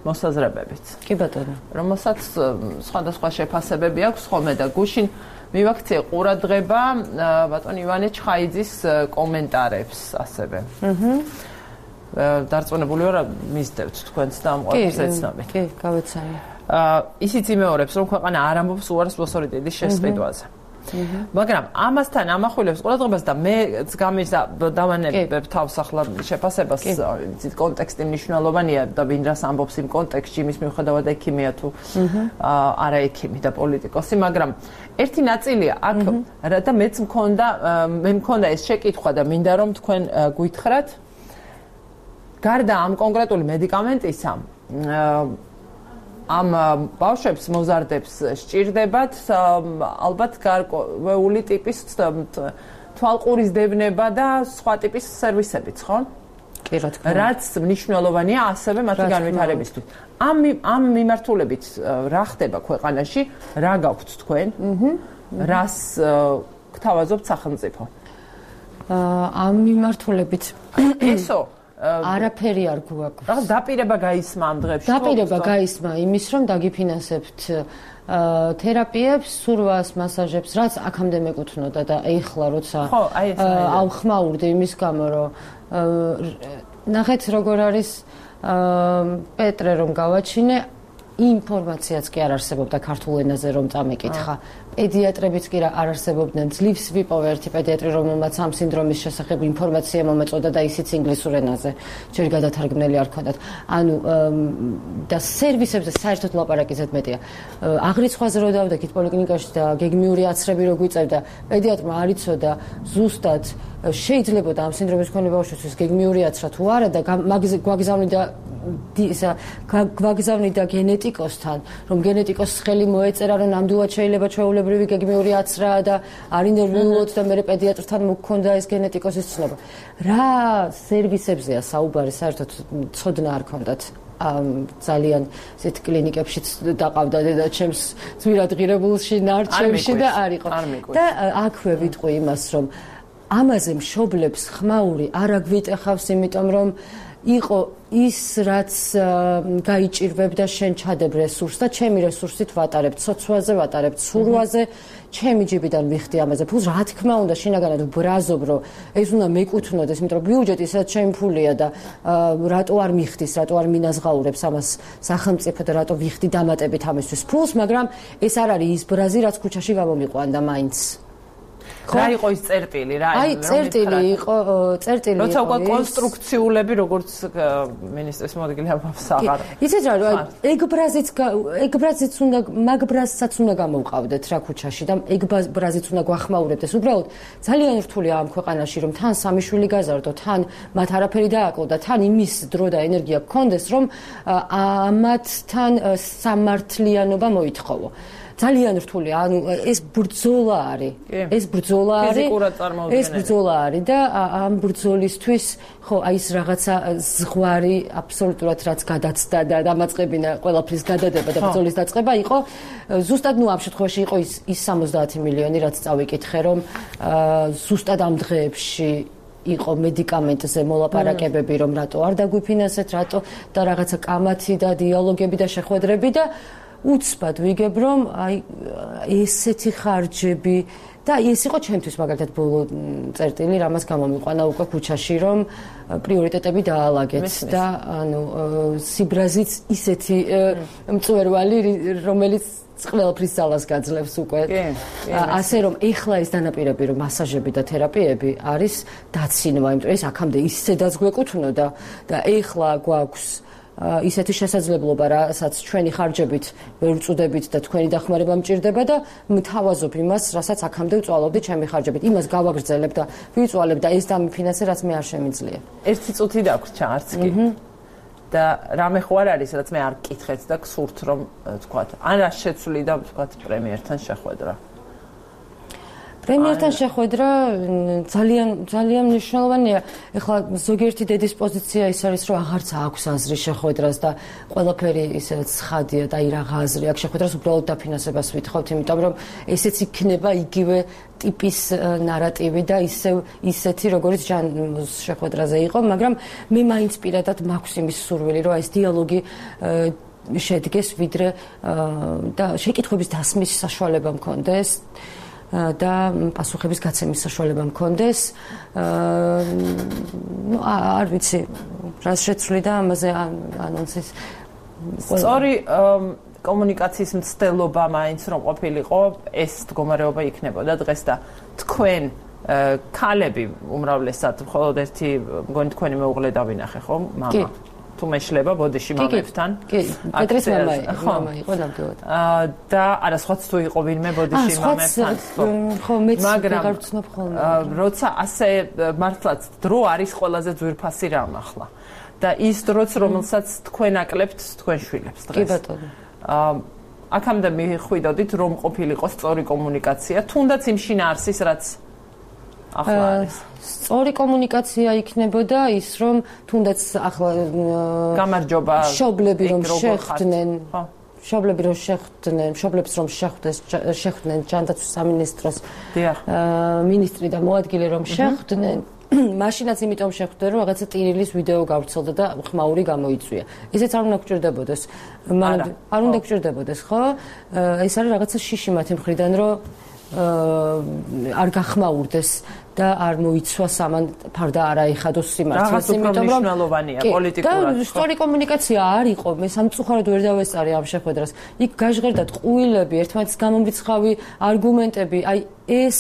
Speaker 1: მოსაზრებებით.
Speaker 2: კი ბატონო.
Speaker 1: რომელსაც სხვადასხვა შეფასებები აქვს ხოლმე და გუშინ მივაქციე ყურადღება ბატონ ივანე ჩხაიძის კომენტარებს ასევე. აჰა. დარწმუნებული ვარ მისდევთ თქვენც და ამ ყველაფერს ეცნობით.
Speaker 2: კი, გავეცანი.
Speaker 1: აა ისიც იმეორებს რომ ქვეყანა არ ამბობს უარს მოსორიდების შესყიდვაზე. მაგრამ ამასთან ამახვილებს ყურადღებას და მეც გამიზა დავანებებ თავს ახლა შეფასებას იცით კონტექსტი მნიშვნელოვანია და ვინ რას ამბობს იმ კონტექსტში იმის მიუხედავად ექიმია თუ არა ექიმი და პოლიტიკოსი მაგრამ ერთი ნაწილია აქ და მეც მქონდა მე მქონდა ეს შეკითხვა და მინდა რომ თქვენ გვითხრათ გარდა ამ კონკრეტული მედიკამენტისა ამ ბავშვებს მოზარდებს სჭირდებათ ალბათ გარკვეული ტიპის თვალყურის დევნება და სხვა ტიპის სერვისებიც, ხო?
Speaker 2: კი, რა თქმა უნდა.
Speaker 1: რაც მნიშვნელოვანია ასევე მათი განვითარებისთვის. ამ ამ მიმართულებით რა ხდება ქვეყანაში? რა გაქვთ თქვენ? რას გთავაზობთ სახელმწიფო?
Speaker 2: ამ მიმართულებით
Speaker 1: ესო
Speaker 2: არაფერი არ გვაქვს.
Speaker 1: რა დაპირება გაისმა ამ დღეებში?
Speaker 2: დაპირება გაისმა იმის, რომ დაგიფინანსებთ თერაპიებს, სურვას, მასაჟებს, რაც აქამდე მეკუთვნოდა და ეხლა როცა ავხმაურდი იმის გამო, რომ ნახეთ როგორ არის პეტრე რომ გავაჩინე ინფორმაციაც კი არ არსებობდა ქართულ ენაზე რომ წამეკითხა. პედიატრებიც კი არ არსებობდნენ. ძლივს ვიპოვე ერთი პედიატრი, რომელმაც ამ სინდრომის შესახებ ინფორმაცია მომეწოდა და ისიც ინგლისურ ენაზე. ჯერ გადათარგმნელი არ ქონდათ. ანუ და სერვისებზე საერთოდ ლაპარაკი ზედ მეტია. აღრიცხვაზე რო დავდექით პოლიკლინიკაში და გეგმიური აცრები რო გვიწევდა, პედიატრმა არ იცოდა ზუსტად შეიძლებოდა ამ სინდრომის მქონე ბავშვისთვის გეგმიური აცრა თუ არა და გვაგზავნიდა ისა გვაგზავნიდა გენეტიკოსთან, რომ გენეტიკოსს ხელი მოეწერა, რომ ნამდვილად შეიძლება ჩვეულებრივი გეგმიური აცრაა და არ ინტერვიულოთ და მე პედიატრთან მოგქონდა ეს გენეტიკოსის ცნობა. რა სერვისებზეა საუბარი, საერთოდ ცოდნა არ ქონდათ. ძალიან ისეთ კლინიკებშიც დაყავდა დედაჩემს ძვირად ღირებულში, ნარჩევში და არ იყო. და აქვე ვიტყვი იმას, რომ ამაზე მშობლებს ხმაური არ აგვიტეხავს, იმიტომ რომ იყო ის რაც გაიჭირვებდა შენ ჩადებ რესურსს და ჩემი რესურსით ვატარებ ცოცვაზე, ვატარებ ცურვაზე, ჩემი ჯიბიდან ვიხდი ამაზე. ფულს რა თქმა უნდა შინაგანად ვბრაზობ, რომ ეს უნდა მეკუთვნოდეს, იმიტომ რომ ბიუჯეტი სადაც ჩემი ფულია და რატო არ მიხდის, რატო არ მინაზღაურებს ამას სახელმწიფო და რატო ვიხდი დამატებით ამისთვის ფულს, მაგრამ ეს არ არის ის ბრაზი, რაც ქუჩაში გამომიყვანდა მაინც.
Speaker 1: რა იყო ის წერტილი რა
Speaker 2: აი წერტილი იყო წერტილი იყო
Speaker 1: როცა უკვე კონსტრუქციულები როგორც მინისტრის მოადგილე ამბობს აღარ
Speaker 2: იცით რა ეგ ბრაზიც ეგ ბრაზიც უნდა მაგ ბრაზსაც უნდა გამოვყავდეთ რა ქუჩაში და ეგ ბრაზიც უნდა გვახმაურებდეს უბრალოდ ძალიან რთულია ამ ქვეყანაში რომ თან სამი შვილი გაზარდო თან მათ არაფერი დააკლო და თან იმის დრო და ენერგია გქონდეს რომ ამათთან სამართლიანობა მოითხოვო ძალიან რთულია, ანუ ეს ბრძოლა არის. ეს ბრძოლა არის. ეს ბრძოლა არის და ამ ბრძოლისთვის ხო აი ეს რაღაცა ზღვარი აბსოლუტურად რაც გადაცდა და დამაწყებინა ყველაფრის გადადება და ბრძოლის დაწყება იყო ზუსტად ნუ ამ შემთხვევაში იყო ის ის სამოცდაათი მილიონი რაც წავიკითხე რომ ზუსტად ამ დღეებში იყო მედიკამენტზე მოლაპარაკებები, რომ რატო არ დაგვიფინანსეთ, რატო და რაღაცა კამათი და დიალოგები და შეხვედრები და უცბად ვიგებ, რომ აი ესეთი ხარჯები და ეს იყო ჩემთვის მაგალითად ბოლო წერტილი, რამაც გამომიყვანა უკვე ქუჩაში, რომ პრიორიტეტები დაალაგეთ და ანუ სიბრაზიც ისეთი მწვერვალი, რომელიც ყველაფრის ძალას გაძლევს უკვე. ასე რომ ეხლა ეს დანაპირები, რომ მასაჟები და თერაპიები არის დაცინვა, იმიტომ ეს აქამდე ისედაც გვეკუთვნოდა და ეხლა გვაქვს ისეთი შესაძლებლობა, რასაც ჩვენი ხარჯებით ვერ ვწუდებით და თქვენი დახმარება მჭირდება და მთავაზობ იმას, რასაც აქამდე ვწვალობდი ჩემი ხარჯებით. იმას გავაგრძელებ და ვიწვალებ და ეს დამიფინანსე, რაც მე არ შემიძლია.
Speaker 1: ერთი წუთი დაგვრჩა, არც კი. და რამე ხო არ არის, რაც მე არ გკითხეთ და გსურთ, რომ თქვათ, ან რა შეცვლი და თქვათ პრემიერთან შეხვედრა.
Speaker 2: პრემიერთან შეხვედრა ძალიან ძალიან მნიშვნელოვანია. ეხლა ზოგიერთი დედის პოზიცია ის არის, რომ აღარც აქვს აზრი შეხვედრას და ყველაფერი ისე ცხადია და აი რაღა აზრი აქვს შეხვედრას, უბრალოდ დაფინანსებას ვითხოვთ, იმიტომ რომ ესეც იქნება იგივე ტიპის ნარატივი და ისევ ისეთი, როგორც ჟანრის შეხვედრაზე იყო, მაგრამ მე მაინც პირადად მაქვს იმის სურვილი, რომ ეს დიალოგი შედგეს, ვიდრე და შეკითხვების დასმის საშუალება მქონდეს. და პასუხების გაცემის საშუალება მქონდეს. ნუ არ ვიცი, რას შეცვლი და ამაზე ანონსის.
Speaker 1: სწორი კომუნიკაციის მცდელობა მაინც რომ ყოფილიყო, ეს მდგომარეობა იქნებოდა დღეს და თქვენ ქალები უმრავლესად მხოლოდ ერთი მგონი თქვენი მეუღლე დავინახე, ხო? მამა. თუ მეშლება ბოდიში მამებთან.
Speaker 2: კი, პეტრეს მამა მამა იყო ნამდვილად.
Speaker 1: აა და არა სხვაც თუ იყო ვინმე ბოდიში მამებთან.
Speaker 2: ხო, მეც ვეღარ ვცნობ ხოლმე.
Speaker 1: როცა ასე მართლაც დრო არის ყველაზე ძვირფასი რამ ახლა. და ის დროც რომელსაც თქვენ აკლებთ თქვენ შვილებს დღეს.
Speaker 2: კი ბატონო.
Speaker 1: აა აქამდე მიხვიდოდით რომ ყოფილიყო სწოpracoი კომუნიკაცია, თუნდაც იმ შინაარსის რაც ახლა არის.
Speaker 2: სწორი კომუნიკაცია იქნებოდა ის, რომ თუნდაც ახლა
Speaker 1: გამარჯობა
Speaker 2: შობლები რომ შეხვდნენ, შობლები რომ შეხვდნენ, შობლებს რომ შეხვდეს, შეხვდნენ ჯანდაცვის სამინისტროს მინისტრი და მოადგილე რომ შეხვდნენ, მაშინაც იმიტომ შეხვდნენ, რომ რაღაცა ტირილის ვიდეო გავრცელდა და ხმაური გამოიწვია. ესეც არ უნდა გჭირდებოდეს. არ უნდა გჭირდებოდეს, ხო? ეს არის რაღაცა შიში მათი მხრიდან, რომ არ გახმაურდეს და არ მოიცვას ამან ფარდა არ აიხადოს სიმართლეს,
Speaker 1: იმიტომ რომ მნიშვნელოვანია პოლიტიკურად.
Speaker 2: და სწორი კომუნიკაცია არ იყო, მე სამწუხაროდ ვერ დავესწარი ამ შეხვედრას. იქ გაჟღერდათ ყუილები, ერთმანეთის გამომრიცხავი არგუმენტები, აი ეს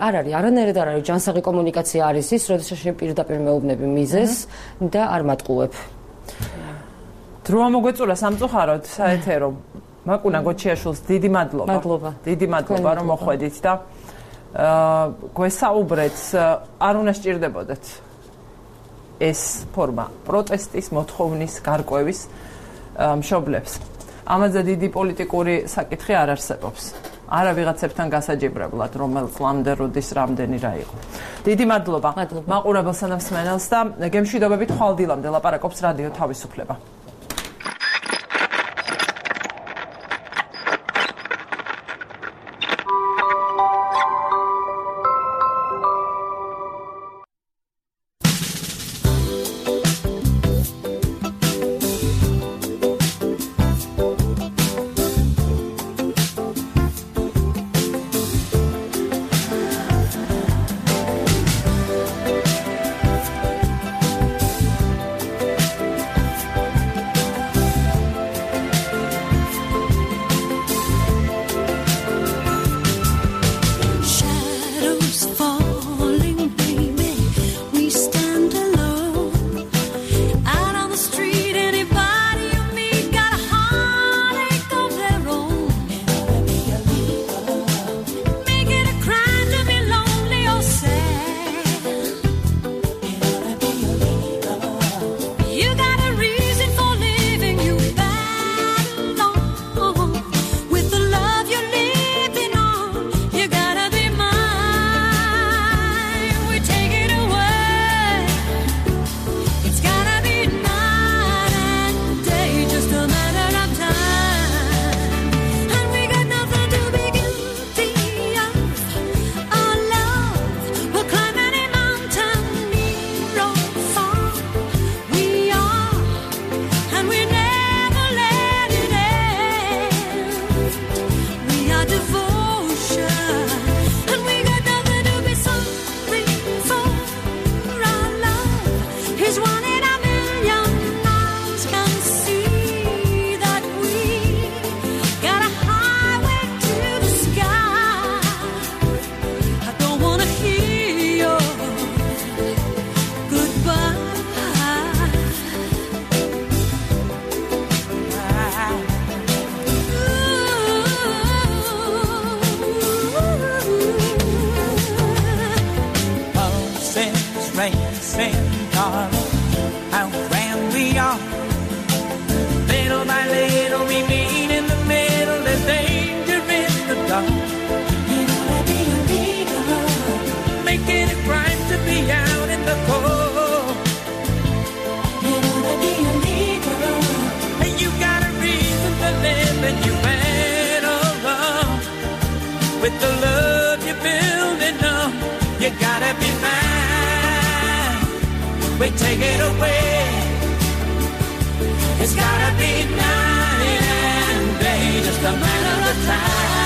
Speaker 2: არ არის, არანაირად არ არის ჯანსაღი კომუნიკაცია არის ის, როდესაც პირდაპირ მეუბნები მიზეს და არ მატყუებ.
Speaker 1: დრო მოგვეწურა სამწუხაროდ საეთერო მაკუნა გოჩიაშვილს დიდი მადლობა.
Speaker 2: მადლობა.
Speaker 1: დიდი მადლობა რომ მოხვედით და აა გვესაუბრეთ, არ უნდა სჭირდებოდეთ ეს ფორმა პროტესტის, მოთხოვნის, გარკვევის მშობლებს. ამაზე დიდი პოლიტიკური საკითხი არ არსებობს. არა ვიღაცებთან გასაჯიბრებლად, რომელ წლამდე როდის რამდენი რა იყო. დიდი მადლობა. მაყურებელს და მსმენელს და გემშვიდობებით ხვალდილამდე ლაპარაკობს რადიო თავისუფლება.
Speaker 5: saying, darling, how grand we are. Little by little we meet in the middle. There's danger in the dark. You wanna be a leader, making it right to be out in the cold. You wanna be a leader, and you got a reason to live, and you better run with the love you're building up. You gotta be mine. We take it away. It's gotta be night and day, just a matter of time.